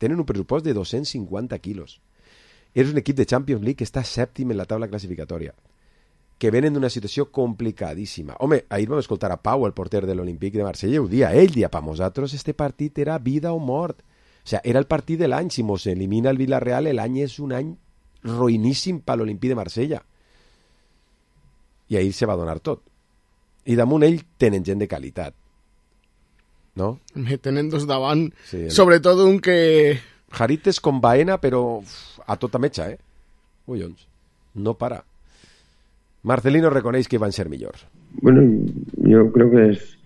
tenen un pressupost de dos-cents cinquanta quilos. és un equip de Champions League que està sèptim en la taula classificatòria, que venen d'una situació complicadíssima. Home, ahir vam escoltar a Pau, el porter de l'Olímpic de Marsella, i ho dia, ell dia, per nosaltres este partit era vida o mort. O sea, era el partit de l'any, si mos elimina el Villarreal, l'any és un any ruïníssim per l'Olímpic de Marsella. I ahir se va donar tot. I damunt ell tenen gent de qualitat. No? Me tenen dos davant, sí, el... sobretot un que... Harit és com Baena, però uf, a tota metxa, eh? Collons, no para. Marcelino reconeix que van ser millors. Bueno, yo creo que es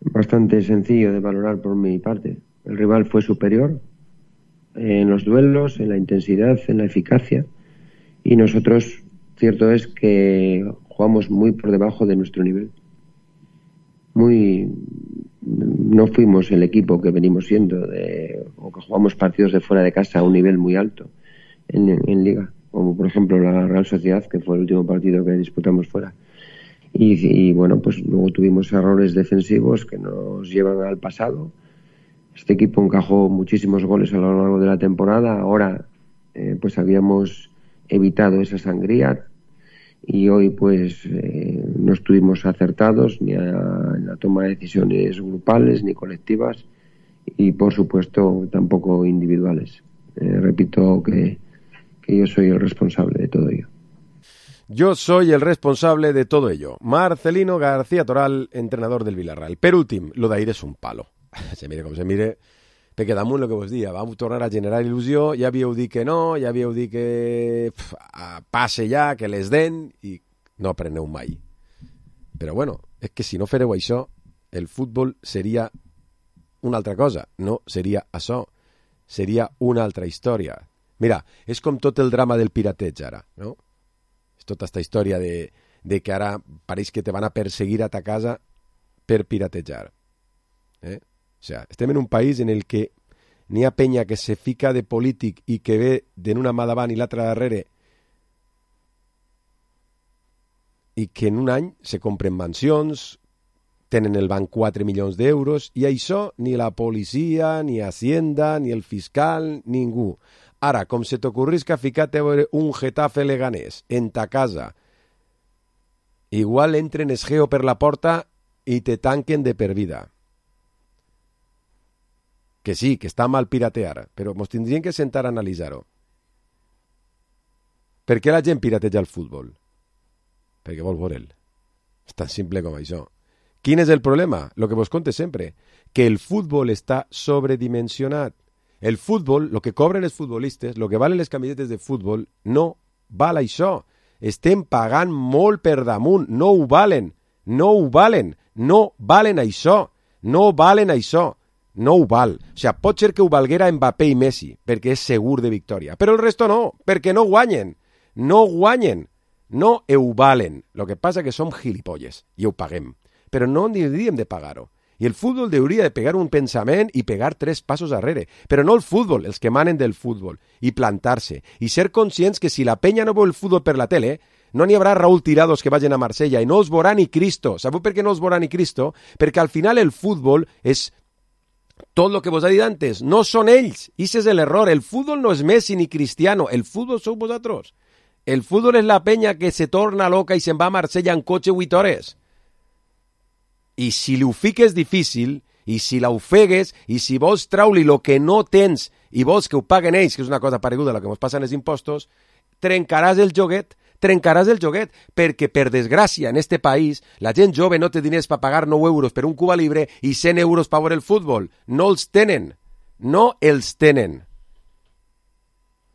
bastante sencillo de valorar por mi parte. El rival fue superior en los duelos, en la intensidad, en la eficacia, y nosotros, cierto es que jugamos muy por debajo de nuestro nivel. Muy... No fuimos el equipo que venimos siendo, de, o que jugamos partidos de fuera de casa a un nivel muy alto en, en Liga, como por ejemplo la Real Sociedad, que fue el último partido que disputamos fuera. Y, y bueno, pues luego tuvimos errores defensivos que nos llevan al pasado. Este equipo encajó muchísimos goles a lo largo de la temporada. Ahora eh, pues habíamos evitado esa sangría y hoy pues eh, no estuvimos acertados ni a, en la toma de decisiones grupales ni colectivas y por supuesto tampoco individuales. Eh, repito que, que yo soy el responsable de todo ello. Yo soy el responsable de todo ello. Marcelino García Toral, entrenador del Villarreal. Per últim, lo d'ahir és un palo. Se mire com se mire, perquè damunt el que vos dia, vam tornar a generar il·lusió, ja havíeu dit que no, ja havíeu dit que pf, passe ja, que les den, i no apreneu mai. Però bueno, és que si no fareu això, el futbol seria una altra cosa, no seria això, seria una altra història. Mira, és com tot el drama del pirateig ara, no? És tota aquesta història de, de que ara pareix que te van a perseguir a ta casa per piratejar. Eh? O sea, estem en un país en el que n'hi ha penya que se fica de polític i que ve d'una mà davant i l'altra darrere i que en un any se compren mansions, tenen el banc quatre milions d'euros i això ni la policia, ni Hacienda, ni el fiscal, ningú. Ara, com se t'ocorrisca ficar-te a veure un Getafe Leganés en ta casa, igual entren esgeo per la porta i te tanquen de per vida. Que sí, que està mal piratear, però mos tindrien que sentar a analitzar-ho. Per què la gent pirateja el futbol? Perquè vol veure'l. És tan simple com això. Quin és el problema? Lo que vos conte sempre, que el futbol està sobredimensionat. El futbol, lo que cobren els futbolistes, lo que valen les camisetes de futbol, no val això. Estem pagant molt per damunt, no ho valen, no ho valen, no valen això, no valen això. No ho val. O sigui, pot ser que ho valguera Mbappé i Messi, perquè és segur de victòria. Però el resto no, perquè no guanyen. No guanyen. No ho valen. Lo que passa que som gilipolles i ho paguem. Però no hauríem de pagar-ho. I el futbol hauria de pegar un pensament i pegar tres passos darrere. Però no el futbol, els que manen del futbol. I plantar-se. I ser conscients que si la penya no veu el futbol per la tele, no n'hi haurà Raúl Tirados que vagin a Marsella i no els veurà ni Cristo. Sabeu per què no els veurà ni Cristo? Perquè al final el futbol és tot el que vos ha dit antes. No són ells. Ese és l'error. El futbol no és Messi ni Cristiano. El futbol sou vosaltres. El futbol és la penya que se torna loca i se'n va a Marsella en cotxe vuit hores. I si li ho fiques difícil, i si la ofegues, i si vols traure-li el que no tens i vols que ho paguen ells, que és una cosa pareguda a la que ens passen els impostos, trencaràs el joguet, trencaràs el joguet, perquè, per desgràcia, en este país, la gent jove no té diners per pagar nou euros per un Cuba Libre i cent euros per veure el futbol. No els tenen. No els tenen.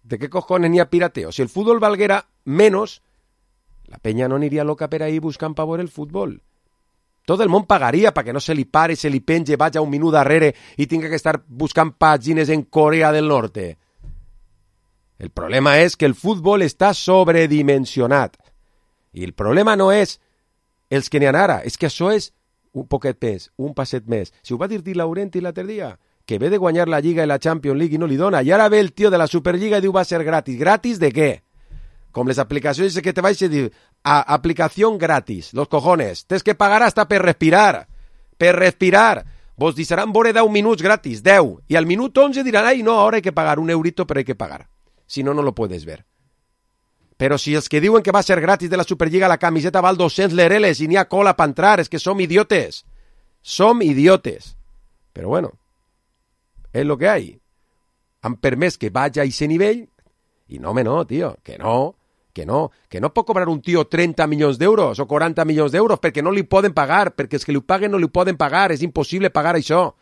¿De qué cojones n'hi ha pirateo? Si el futbol valguera menos, la penya no aniria loca per ahí buscant per veure el futbol. Tot el món pagaria perquè no se li pare, se li penge, vaja un minut darrere i tinga que estar buscant pàgines en Corea del Norte. El problema és que el futbol està sobredimensionat. I el problema no és els que n'hi ha ara, és que això és un poquet més, un passet més. Si ho va dir Di Laurenti l'altre dia, que ve de guanyar la Lliga i la Champions League i no li dona, i ara ve el tio de la Superliga i diu va ser gratis. Gratis de què? Com les aplicacions que te vaig a dir, a aplicació gratis, los cojones, tens que pagar hasta per respirar, per respirar, vos deixaran veure deu minuts gratis, deu, i al minut onze diran, ai no, ara hay que pagar un eurito, però hay que pagar. si no, no lo puedes ver. Però si els que diuen que va ser gratis de la Superliga la camiseta val dos-cents lereles i n'hi ha cola per entrar, és que som idiotes. Som idiotes. Però bueno, és lo que hay. Han permès que vagi a ese nivell i no, home, no, tio, que no, que no, que no pot cobrar un tio trenta milions d'euros o quaranta milions d'euros perquè no li poden pagar, perquè els que li paguen no li poden pagar, és impossible pagar això.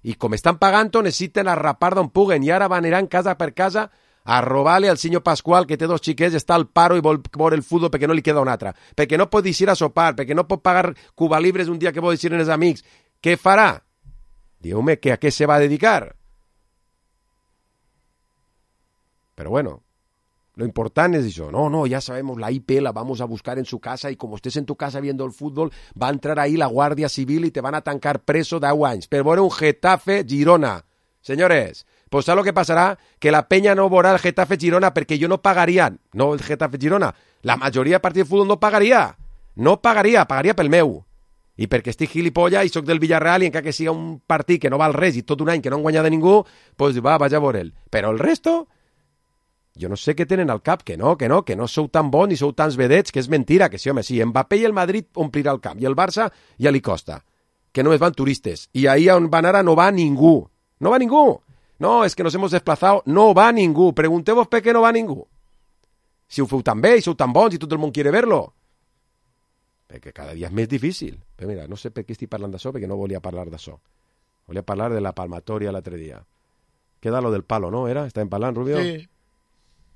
I com estan pagant-ho, necessiten arrapar d'on puguen i ara van aniran casa per casa a robar-li al senyor Pasqual, que té dos xiquets, està al paro i vol veure el futbol perquè no li queda un altre, perquè no pot eixir a sopar, perquè no pot pagar Cuba Libres un dia que vol eixir amb els amics. Què farà? Diu-me que a què se va a dedicar. Pero bueno, lo importante es eso. No, no, ya sabemos, la I P la vamos a buscar en su casa y como estés en tu casa viendo el fútbol, va a entrar ahí la Guardia Civil y te van a tancar preso de deu anys. Pero bueno, un Getafe Girona. Señores, pues ¿sabes lo que pasará? Que la peña no veurà el Getafe Girona perquè jo no pagaria. No el Getafe Girona. La majoria de partits de futbol no pagaria. No pagaria, pagaria pel meu. I perquè estic gilipolla i soc del Villarreal i encara que siga un partit que no val res i tot un any que no han guanyat de ningú, pues va, vaja a veure'l. Però el resto... Jo no sé què tenen al cap, que no, que no, que no sou tan bons ni sou tants vedets, que és mentira, que sí, home, sí, Mbappé i el Madrid omplirà el camp, i el Barça ja li costa, que només van turistes, i ahí on van ara no va ningú, no va ningú, no, és que nos hemos desplazado, no va ningú, pregunteu-vos per què no va ningú, si ho feu tan bé i sou tan bons i tot el món quiere verlo, perquè cada dia és més difícil, però mira, no sé per què estic parlant d'això, perquè no volia parlar d'això, volia parlar de la palmatoria l'altre dia, queda lo del palo, no, era? Estàvem parlant, Rubio? Sí.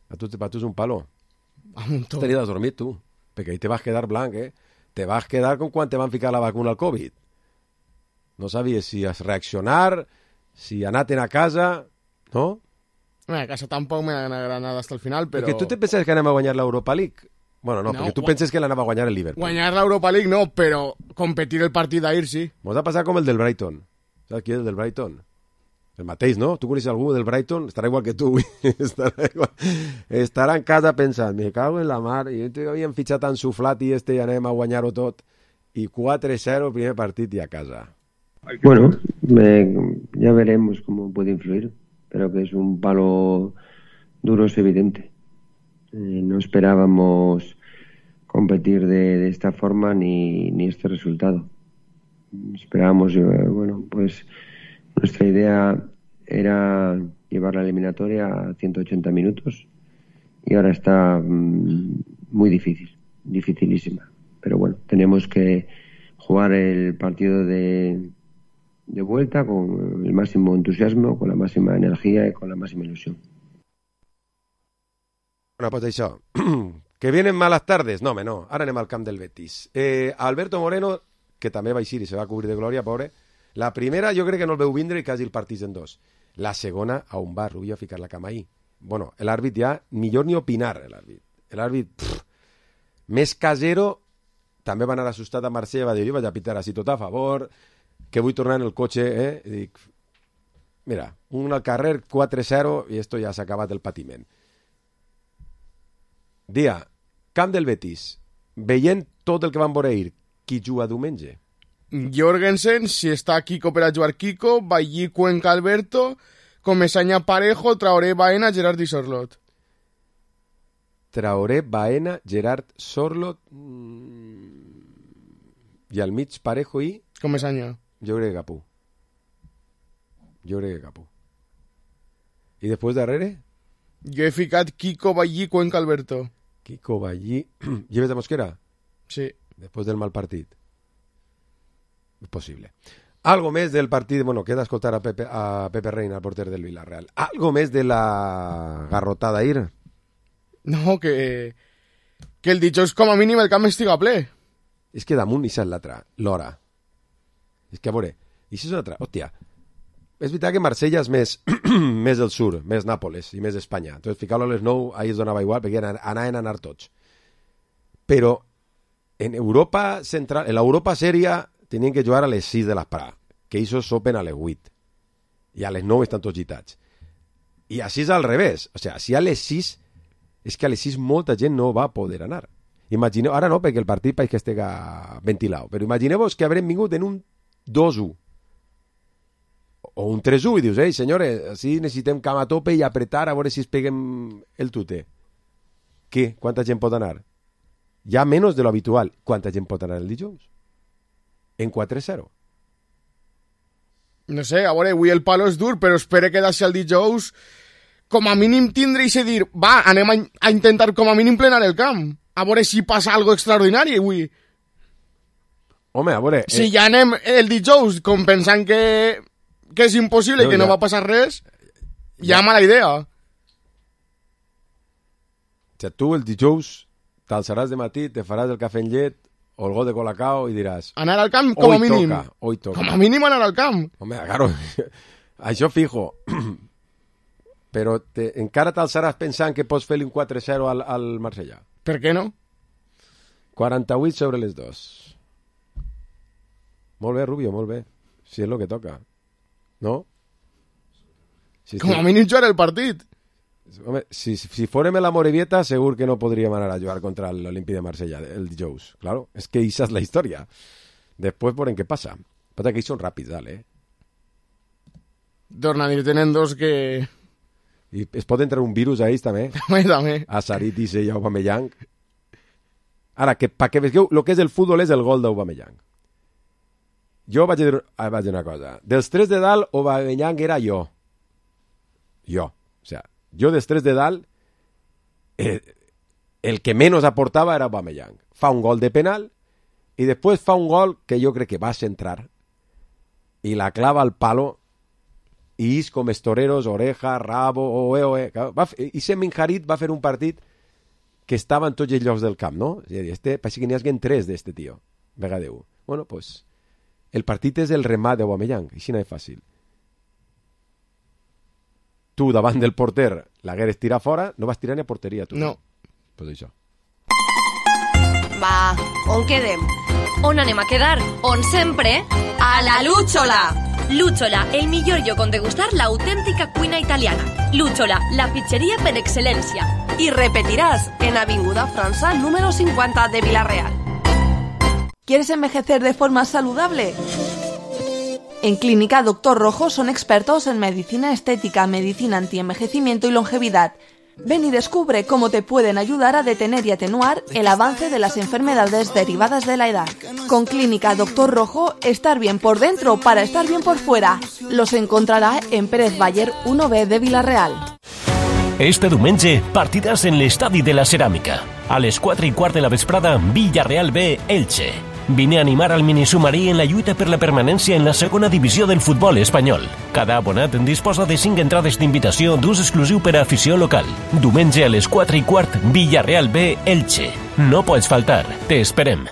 A tu, a tu és un palo. A un tot. T'has dormir, tu. Perquè ahí te vas quedar blanc, eh? Te vas quedar com quan te van ficar la vacuna al Covid. No sabies si es reaccionar, si anar-te'n a casa, no? Bueno, a casa tampoc me han agranat hasta el final, però... Perquè tu te penses que anem a guanyar l'Europa League? Bueno, no, no perquè tu gu... penses que l'anava a guanyar el Liverpool. Guanyar l'Europa League no, però competir el partit d'ahir sí. Mos ha passat com el del Brighton. Saps qui és el del Brighton? El mateix, no? Tu coneixes algú del Brighton? Estarà igual que tu. Estarà, igual. Estarà en casa pensant, me cago en la mar, i jo havien fitxat en Suflat i este i anem a guanyar-ho tot. I quatre cero, primer partit i a casa. Bueno, eh, ya veremos cómo puede influir, pero que es un palo duro, es evidente. Eh, no esperábamos competir de, de esta forma ni, ni este resultado. Esperábamos, eh, bueno, pues... Nuestra idea era llevar la eliminatoria a ciento ochenta minutos y ahora está mmm, muy difícil, dificilísima. Pero bueno, tenemos que jugar el partido de, de vuelta con el máximo entusiasmo, con la máxima energía y con la máxima ilusión. Bueno, pues això, que vienen malas tardes. No, home, no, ara anem al camp del Betis. Eh, Alberto Moreno, que també va eixir i se va cobrir de glòria, pobre. La primera jo crec que no el veu vindre i quasi el partís en dos. La segona, a on va Rubio a ficar la cama ahí? Bueno, l'àrbit ja, millor ni opinar, l'àrbit. L'àrbit, pff, més casero, també va anar assustat a Marsella, va dir, vaig a pitar així tot a favor, que vull tornar en el cotxe, eh? I dic, mira, un al carrer, quatre zero, i esto ja s'ha acabat el patiment. Dia, camp del Betis, veient tot el que van veure ahir, qui juga diumenge? Jorgensen, si està Kiko per a jugar Kiko, Ballí, Cuenca, Alberto, Comesaña, Parejo, Traoré, Baena, Gerard i Sorlot. Traoré, Baena, Gerard, Sorlot mmm... i al mig Parejo i... Comesaña. Jo crec que Capú. Jo crec que Capú. I després darrere? Jo he ficat Kiko, Ballí, Cuenca, Alberto. Kiko, Ballí... ¿Lleves de Mosquera? Sí. Després del mal partit. És possible. Algo més del partit, bueno, queda escoltar a Pepe, a Pepe Reina, el porter del Villarreal. Algo més de la garrotada ahir? No, que, que el dijous com a mínim el camp estiga ple. És que damunt i és l'altra, l'hora. És que a veure, i si és una altra, hòstia, és veritat que Marsella és més, més del sur, més Nàpoles i més Espanya. Entonces ficar-lo a les nou, ahí es donava igual, perquè anaven a anar tots. Però en Europa central, en l'Europa sèria, tenien que jugar a les sis de l'esprà, que ells sopen a les vuit, i a les nou estan tots gitats. I així és al revés, o sigui, si a les sis, és que a les sis molta gent no va poder anar. Imagineu, ara no, perquè el partit pareix que estega ventilat, però imagineu-vos que haurem vingut en un dos u. o un tres u i dius, ei, senyores, així necessitem cam a tope i apretar a veure si es peguem el tute. Què? Quanta gent pot anar? Ja menys de lo habitual. Quanta gent pot anar el dijous? En quatre zero. No sé, a veure, avui el palo és dur, però espero que d'això el dijous com a mínim tindre i se dir, va, anem a, a intentar com a mínim plenar el camp. A veure si passa algo extraordinari avui. Home, a veure... Si eh... ja anem el dijous com pensant que, que és impossible no, i que ja. no va passar res, ja, ja mala idea. O sigui, tu el dijous t'alçaràs de matí, te faràs el cafè en llet o el got de colacao i diràs... Anar al camp com a mínim. Toca, hoy toca. Com a mínim anar al camp. Home, claro, això fijo. Però te, encara t'alçaràs pensant que pots fer-li un quatre zero al, al Marsella. Per què no? quaranta-vuit sobre les dos. Molt bé, Rubio, molt bé. Si és el que toca. No? Si Com a mínim jugar el partit. Home, si, si fórem la Morevieta, segur que no podríem anar a jugar contra l'Olímpic de Marsella el dijous. Claro, és que esa és la història. Després veurem què passa. Passa que ells són ràpids, dale. Torna a dir, tenen dos que... I es pot entrar un virus a ells també. També, també. A Saritis i a Aubameyang. Ara, que, pa que veieu, el que és el futbol és el gol d'Aubameyang. Jo vaig dir, ah, vaig dir una cosa. Dels tres de dalt, Aubameyang era jo. Jo. O sea, jo dels tres de dalt, eh, el que menys aportava era Aubameyang. Fa un gol de penal i després fa un gol que jo crec que va centrar i la clava al palo i és com els toreros, oreja, rabo, oe, oe. Va, i Semin Harit va fer un partit que estava en tots els llocs del camp, no? És a dir, este, parece que n'hi haguen tres d'este tio. Vega Déu. Bueno, pues, el partit és el remat d'Aubameyang, així no és fàcil. Tu, davant del porter, l'hagueres tirat fora, no vas tirar ni a porteria, tu. No. Pues això. Va, on quedem? On anem a quedar? On sempre? A la Lúchola! Lúchola, el millor lloc on degustar la autèntica cuina italiana. Lúchola, la pizzeria per excel·lència. I repetiràs en Avinguda França número cincuenta de Villarreal. ¿Quieres envejecer de forma saludable? En Clínica Doctor Rojo son expertos en medicina estética, medicina antienvejecimiento y longevidad. Ven y descubre cómo te pueden ayudar a detener y atenuar el avance de las enfermedades derivadas de la edad. Con Clínica Doctor Rojo, estar bien por dentro para estar bien por fuera. Los encontrará en Pérez Bayer uno B de Villarreal. Este diumenge, partides en l'Estadi de la Ceràmica. A les quatre i quart de la vesprada, Villarreal B, Elche. Vine a animar al minisubmarí en la lluita per la permanència en la segona divisió del futbol espanyol. Cada abonat disposa de cinc entrades d'invitació d'ús exclusiu per a afició local. Diumenge a les quatre i quart, Villarreal B, Elche. No pots faltar. Te esperem.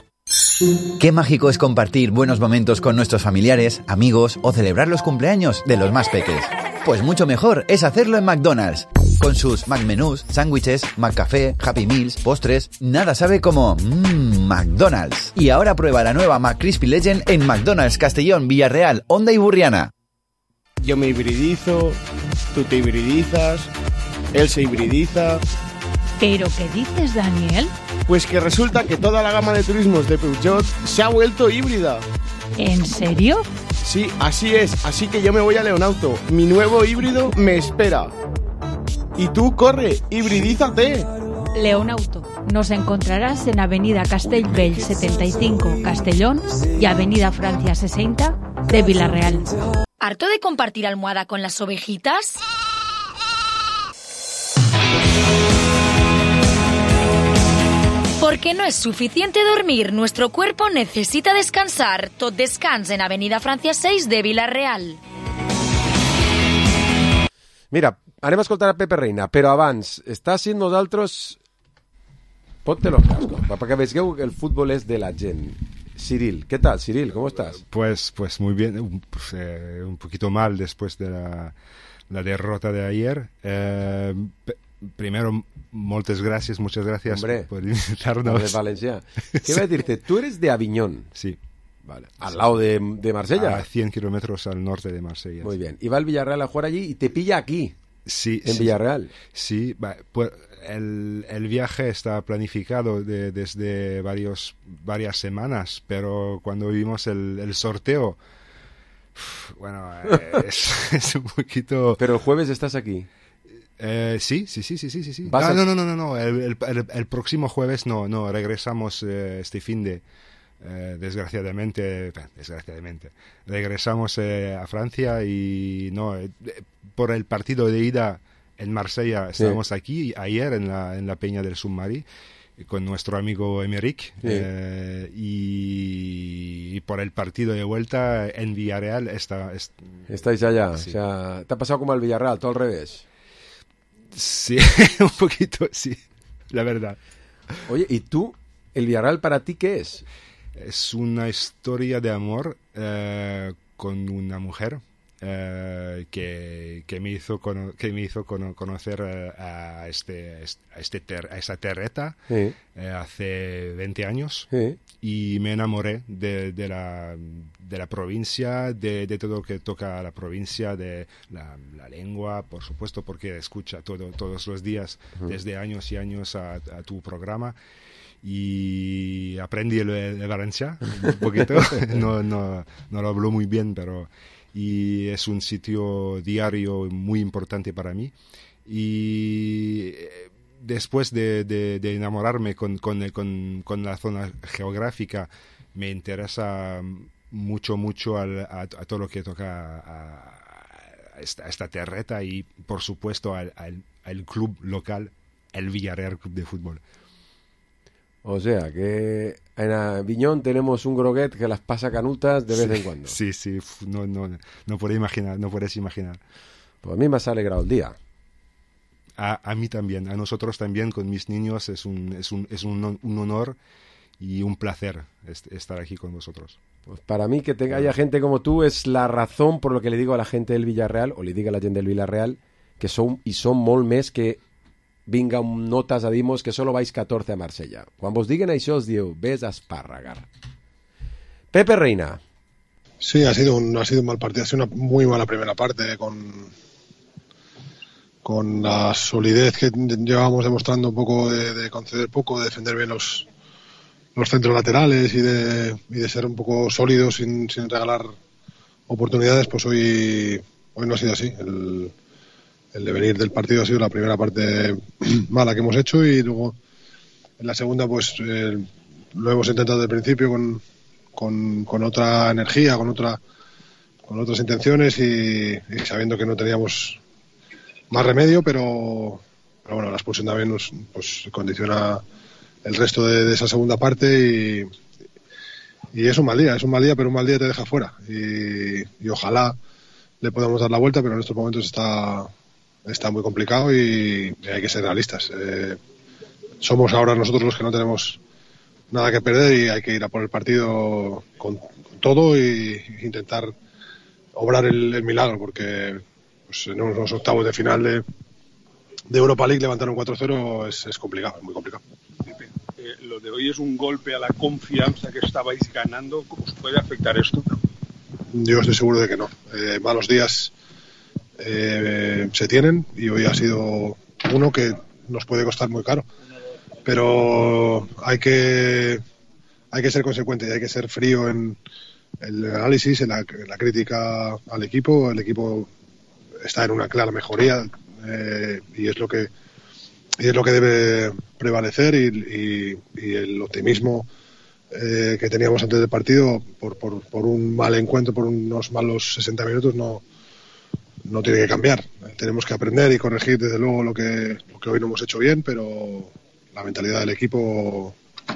Qué mágico es compartir buenos momentos con nuestros familiares, amigos o celebrar los cumpleaños de los más peques. Pues mucho mejor es hacerlo en McDonald's. Con sus McMenús, sándwiches, McCafé, Happy Meals, postres, nada sabe como mmm, McDonald's. Y ahora prueba la nueva McCrispy Legend en McDonald's Castellón, Villarreal, Honda y Burriana. Yo me hibridizo, tú te hibridizas, él se hibridiza... ¿Pero qué dices, Daniel? Pues que resulta que toda la gama de turismos de Peugeot se ha vuelto híbrida. ¿En serio? Sí, así es. Así que yo me voy a Leonauto. Mi nuevo híbrido me espera. Y tú, corre, hibridízate. Leonauto. Nos encontrarás en Avenida Castellbell setenta y cinco, Castellón, y Avenida Francia sesenta de Villarreal. ¿Harto de compartir almohada con las ovejitas? Porque no es suficiente dormir, nuestro cuerpo necesita descansar. Tot descans en Avenida Francia seis de Villarreal. Mira, anem a escoltar a Pepe Reina, però abans, està sent nosaltres... Ponte los cascos, para que veieu que el fútbol es de la gent. Cyril, ¿qué tal, Cyril? ¿Cómo estás? Pues, pues muy bien, pues, eh, un poquito mal después de la, la derrota de ayer. Eh, primero, muchas gracias, muchas gracias Hombre, por invitarnos. De Valencia. ¿Qué sí. voy a decirte? Tú eres de Aviñón. Sí. Vale. Al sí. lado de, de Marsella. A cien kilómetros al norte de Marsella. Muy bien. Y va el Villarreal a jugar allí y te pilla aquí. Sí. En sí, Villarreal. Sí. Pues el, el viaje está planificado de, desde varios, varias semanas, pero cuando vimos el, el sorteo Bueno, eh, es, es un poquito... Pero el jueves estás aquí. Eh, sí, sí, sí, sí, sí, sí. Ah, a... No, no, no, no, no. El, el, el, el próximo jueves no, no, regresamos eh, este fin de, eh, desgraciadamente, desgraciadamente, regresamos eh, a Francia y no, eh, por el partido de ida en Marsella estábamos sí. aquí ayer en la, en la Peña del Submarí con nuestro amigo Emerick sí. eh, y, y por el partido de vuelta en Villarreal está, es, estáis allá, sí. O sea, te ha pasado como al Villarreal, todo al revés. Sí, un poquito, sí, la verdad. Oye, ¿y tú, el Villarreal para ti qué es? Es una historia de amor eh, con una mujer eh, que, que me hizo, cono- que me hizo cono- conocer eh, a, este, a, este ter- a esta terreta sí. eh, hace veinte años sí. y me enamoré de, de, la, de la provincia, de, de todo lo que toca a la provincia, de la, la lengua, por supuesto, porque escucha todo, todos los días, uh-huh. desde años y años a, a tu programa. Y aprendí el, el Valencia un poquito, no, no, no lo hablo muy bien, pero y es un sitio diario muy importante para mí. Y después de, de, de enamorarme con, con, con, con la zona geográfica, me interesa mucho, mucho al, a, a todo lo que toca a, a, esta, a esta terreta y, por supuesto, al, al, al club local, el Villarreal Club de Fútbol. O sea, que en Aviñón tenemos un groguet que las pasa canutas de vez sí, en cuando. Sí, sí, no, no, no puedes imaginar, no puedes imaginar. Pues a mí me has alegrado el día. A, a mí también, a nosotros también, con mis niños, es un, es un, es un, un honor y un placer est- estar aquí con vosotros. Pues para mí que te, haya gente como tú es la razón por lo que le digo a la gente del Villarreal, o le digo a la gente del Villarreal, que son y son molt més que vinga notes a dir-nos que solo vais catorce a Marsella. Quan vos diguen això us diu, ves a Espárragar. Pepe Reina. Sí, ha sido un, ha sido un mal partido, ha sido una muy mala primera parte con, con la solidez que llevábamos demostrando un poco de, de conceder poco, de defender bien los, los centros laterales y de, y de ser un poco sólidos sin, sin regalar oportunidades, pues hoy, hoy no ha sido así. El, El devenir del partido ha sido la primera parte mala que hemos hecho y luego en la segunda pues eh, lo hemos intentado desde el principio con, con, con otra energía, con otra con otras intenciones y, y sabiendo que no teníamos más remedio, pero, pero bueno, la expulsión también nos pues, condiciona el resto de, de esa segunda parte y, y es un mal día, es un mal día, pero un mal día te deja fuera y, y ojalá le podamos dar la vuelta, pero en estos momentos está está muy complicado y hay que ser realistas. Eh, somos ahora nosotros los que no tenemos nada que perder y hay que ir a por el partido con, con todo y intentar obrar el, el milagro, porque pues, en unos octavos de final de, de Europa League levantar un cuatro cero es, es complicado, es muy complicado. Eh, lo de hoy es un golpe a la confianza que estabais ganando. ¿Cómo os puede afectar esto? Yo estoy seguro de que no. Eh, malos días Eh, se tienen y hoy ha sido uno que nos puede costar muy caro, pero hay que hay que ser consecuente y hay que ser frío en el análisis, en la, en la crítica al equipo. El equipo está en una clara mejoría eh, y es lo que y es lo que debe prevalecer y, y, y el optimismo eh, que teníamos antes del partido por, por, por un mal encuentro, por unos malos sesenta minutos no no tiene que cambiar. Tenemos que aprender y corregir desde luego lo que, lo que hoy no hemos hecho bien, pero la mentalidad del equipo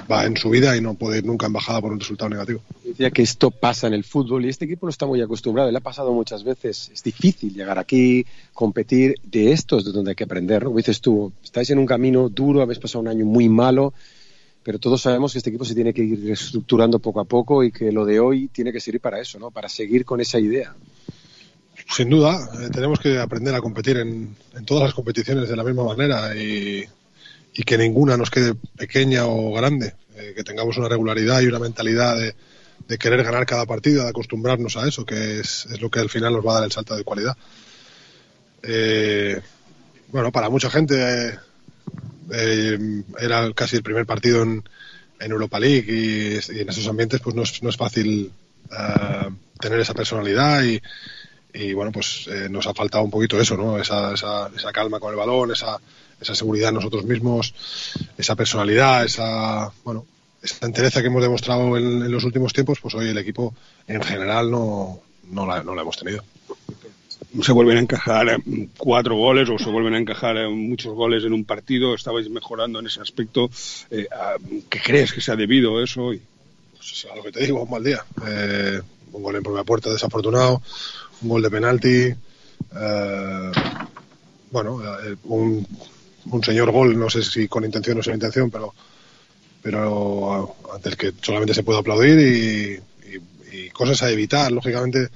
va en subida y no puede ir nunca en bajada por un resultado negativo. Decía que esto pasa en el fútbol y este equipo no está muy acostumbrado, le ha pasado muchas veces, es difícil llegar aquí, competir, de esto es de donde hay que aprender, ¿no? Como dices tú, estáis en un camino duro, habéis pasado un año muy malo, pero todos sabemos que este equipo se tiene que ir reestructurando poco a poco y que lo de hoy tiene que servir para eso, ¿no? Para seguir con esa idea. Sin duda, eh, tenemos que aprender a competir en, en todas las competiciones de la misma manera y, y que ninguna nos quede pequeña o grande, eh, que tengamos una regularidad y una mentalidad de, de querer ganar cada partido, de acostumbrarnos a eso, que es, es lo que al final nos va a dar el salto de cualidad. Eh, bueno, para mucha gente eh, eh, era casi el primer partido en, en Europa League y, y en esos ambientes pues no es, no es fácil uh, tener esa personalidad y, y bueno, pues eh, nos ha faltado un poquito eso, ¿no? Esa, esa, esa calma con el balón, esa, esa seguridad en nosotros mismos, esa personalidad, esa, bueno, esa entereza que hemos demostrado en, en los últimos tiempos, pues hoy el equipo en general no, no, la, no la hemos tenido. Se vuelven a encajar cuatro goles o se vuelven a encajar muchos goles en un partido. Estabais mejorando en ese aspecto. Eh, ¿Qué crees que se ha debido a eso? Y... Pues a lo que te digo, un mal día. Eh, un gol en propia puerta desafortunado, un gol de penalti, eh, bueno, eh, un, un señor gol, no sé si con intención o sin intención, pero, pero ante el que solamente se puede aplaudir y, y, y cosas a evitar, lógicamente.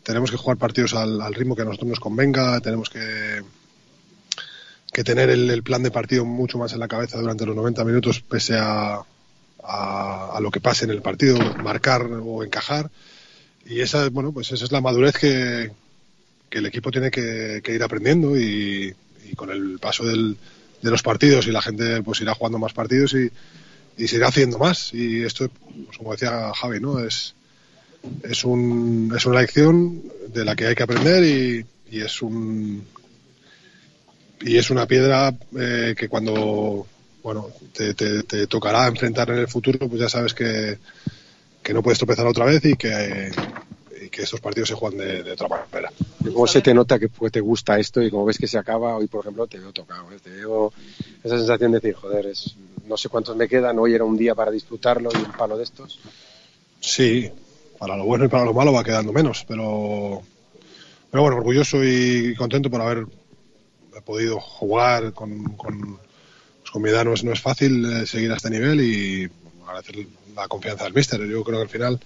Tenemos que jugar partidos al, al ritmo que a nosotros nos convenga, tenemos que, que tener el, el plan de partido mucho más en la cabeza durante los noventa minutos, pese a, a, a lo que pase en el partido, marcar o encajar. Y esa, bueno, pues esa es la madurez que, que el equipo tiene que, que ir aprendiendo y, y con el paso del, de los partidos y la gente pues irá jugando más partidos y, y se irá haciendo más. Y esto, pues, como decía Javi, ¿no? Es Es, un, es una lección de la que hay que aprender y, y es un y es una piedra eh, que cuando bueno te, te, te tocará enfrentar en el futuro, pues ya sabes que, que no puedes tropezar otra vez y que, y que estos partidos se juegan de, de otra manera. ¿Cómo se te nota que te gusta esto y como ves que se acaba? Hoy, por ejemplo, te veo tocado, ¿eh? Te veo esa sensación de decir, joder, es, no sé cuántos me quedan, hoy era un día para disfrutarlo y un palo de estos. Sí, para lo bueno y para lo malo va quedando menos, pero pero bueno, orgulloso y contento por haber podido jugar con, con, pues con mi edad. No es, no es fácil eh, seguir a este nivel y bueno, agradecer la confianza del míster. Yo creo que al final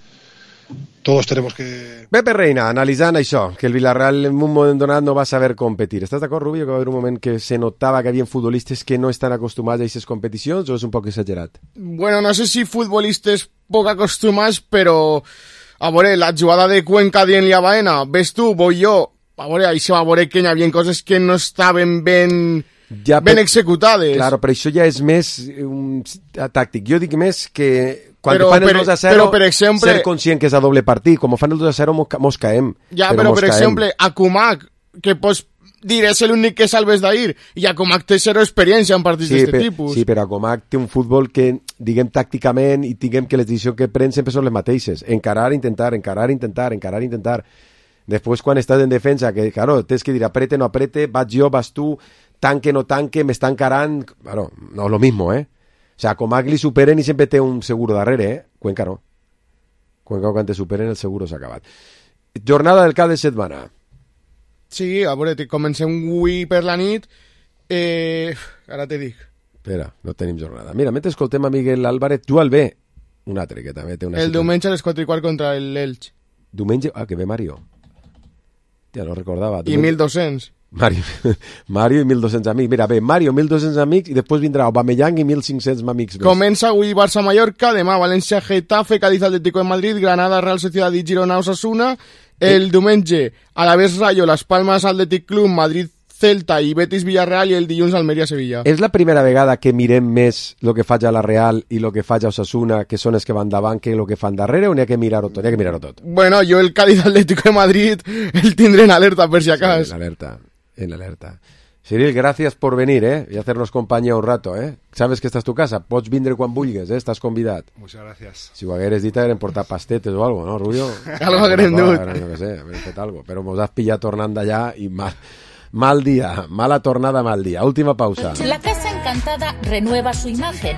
todos tenemos que... Pepe Reina, analitzant això, que el Villarreal en un moment donat no va saber competir. Estàs d'acord, Rubio, que va haver un moment que se notava que hi havia futbolistes que no estan acostumats a aquestes competicions o és un poc exagerat? Bueno, no sé si futbolistes poc acostumats, però... A veure, la jugada de Cuenca dient-li a Baena, ves tu, voy jo. A veure, ahí se va a veure que hi havia coses que no estaven ben, ja, ben per, executades. Claro, però això ja és més un tàctic. Jo dic més que quan però, fan el per, dos a zero, però, per exemple, ser conscient que és a doble partit. Com fan el dos a zero, mos, mos caem. Ja, però, però per caem. exemple, a Kumak, que pots dir, és l'únic que salves d'ahir, i a Comac té zero experiència en partits sí, d'aquest tipus. Sí, però a Comac té un futbol que, diguem, tàcticament, i diguem que les decisions que pren sempre són les mateixes. Encarar, intentar, encarar, intentar, encarar, intentar. Després, quan estàs en defensa, que, claro, tens que dir aprete, no aprete, vaig jo, vas tu, tanque, no tanque, m'està encarant... Claro, no, lo mismo, eh? O sea, a Comac li superen i sempre té un seguro darrere, eh? Cuenca no. Cuenca, quan te superen, el seguro s'ha acabat. Jornada del cap de setmana. Sí, a veure, comencem avui per la nit. Eh, ara te dic. Espera, no tenim jornada. Mira, mentre escoltem a Miguel Álvarez, tu al bé, un altre que també té una... El situació. diumenge a les quatre i quart contra l'Elx. Diumenge? Ah, que ve Mario. Ja no recordava. I mil dos-cents. Mario, Mario i mil dos-cents amics. Mira, bé, Mario, mil dos-cents amics, i després vindrà Aubameyang i mil cinc-cents amics més. Comença avui Barça-Mallorca, demà València-Getafe, Cádiz-Atlético de Madrid, Granada-Real Sociedad i Girona-Osasuna. El diumenge, Alavés Rayo, Las Palmas Athletic Club, Madrid-Celta i Betis-Villarreal, i el dilluns Almeria-Sevilla. És la primera vegada que mirem més el que faig a la Real i el que faig a Osasuna, que són els que van davant, que el que fan darrere, o n'hi ha que mirar-ho tot? N'hi ha que mirar-ho tot. Bueno, jo el Cádiz-Atlético de Madrid el tindré en alerta, per si acas. Sí, en alerta, en alerta. Cyril, gracias por venir, ¿eh? Y hacernos compañía un rato, ¿eh? Sabes que esta es tu casa, pots vindre quan vulguis, ¿eh? Estàs convidat. Muchas gracias. Si ho hagueres dit, hagueren portat pastetes o algo, ¿no, Rubio? Algo hagueren dut. No que sé, hagueren fet algo. Però mos has pillat tornant d'allà i mal, mal dia, mala tornada, mal dia. Última pausa. La Casa Encantada renueva su imagen.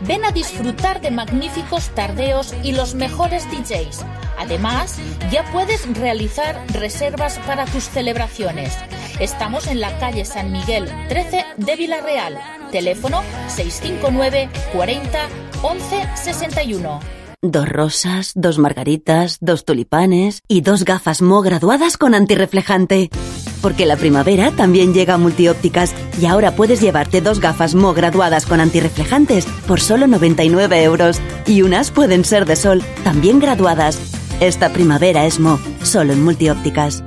Ven a disfrutar de magníficos tardeos y los mejores D Js. Además, ya puedes realizar reservas para tus celebraciones. Estamos en la calle San Miguel trece de Villarreal. Teléfono seis cinco nueve cuarenta once sesenta y uno. Dos rosas, dos margaritas, dos tulipanes y dos gafas Mo graduadas con antirreflejante. Porque la primavera también llega a Multiópticas y ahora puedes llevarte dos gafas Mo graduadas con antirreflejantes por solo noventa y nueve euros. Y unas pueden ser de sol, también graduadas. Esta primavera es Mo, solo en Multiópticas.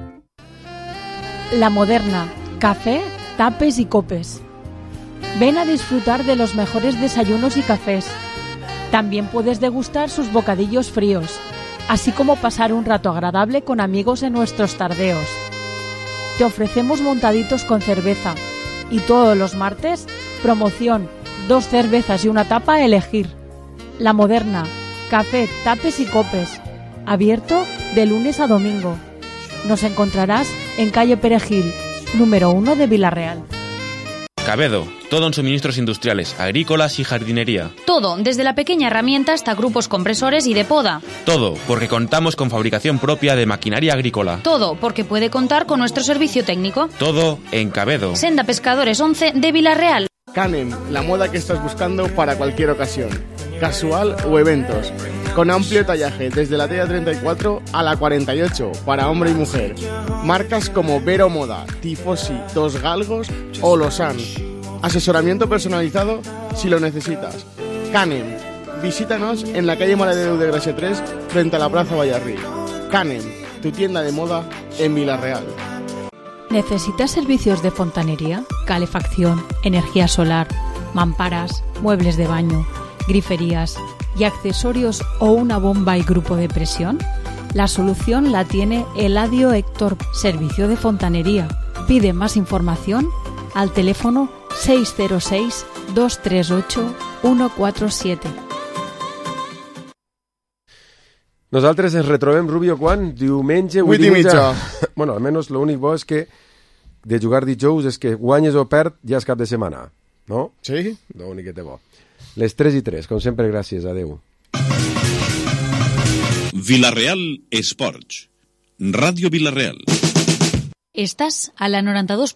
La Moderna, café, tapes y copes. Ven a disfrutar de los mejores desayunos y cafés. También puedes degustar sus bocadillos fríos. así como pasar un rato agradable con amigos en nuestros tardeos. Te ofrecemos montaditos con cerveza y todos los martes, promoción, dos cervezas y una tapa a elegir. La Moderna, café, tapes y copes, abierto de lunes a domingo. Nos encontrarás en calle Perejil, número uno de Vila-real. Cabedo, todo en suministros industriales, agrícolas y jardinería. Todo, desde la pequeña herramienta hasta grupos compresores y de poda. Todo, porque contamos con fabricación propia de maquinaria agrícola. Todo, porque puede contar con nuestro servicio técnico. Todo en Cabedo. Senda Pescadores once de Vila-real. Canem, la moda que estás buscando para cualquier ocasión, casual o eventos, con amplio tallaje desde la talla treinta y cuatro a la cuarenta y ocho para hombre y mujer. Marcas como Vero Moda, Tifosi, Dos Galgos o Losan. Asesoramiento personalizado si lo necesitas. Canem, visítanos en la calle Maredeu de Gracia tres frente a la Plaza Vallarrí. Canem, tu tienda de moda en Vila-real. ¿Necesitas servicios de fontanería, calefacción, energía solar, mamparas, muebles de baño, griferías y accesorios o una bomba y grupo de presión? La solución la tiene Eladio Héctor, servicio de fontanería. Pide más información al teléfono seis cero seis, dos tres ocho, uno cuatro siete. Nosaltres ens retrobem, Rubio, quan? Diumenge, vuit i mitja. Bueno, almenys l'únic bo és que de jugar dijous és que guanyes o perd ja és cap de setmana, no? Sí. L'únic que té bo. Les tres i tres, com sempre, gràcies. Adéu. Vila-real Esports. Ràdio Vila-real. Estás a la noranta dos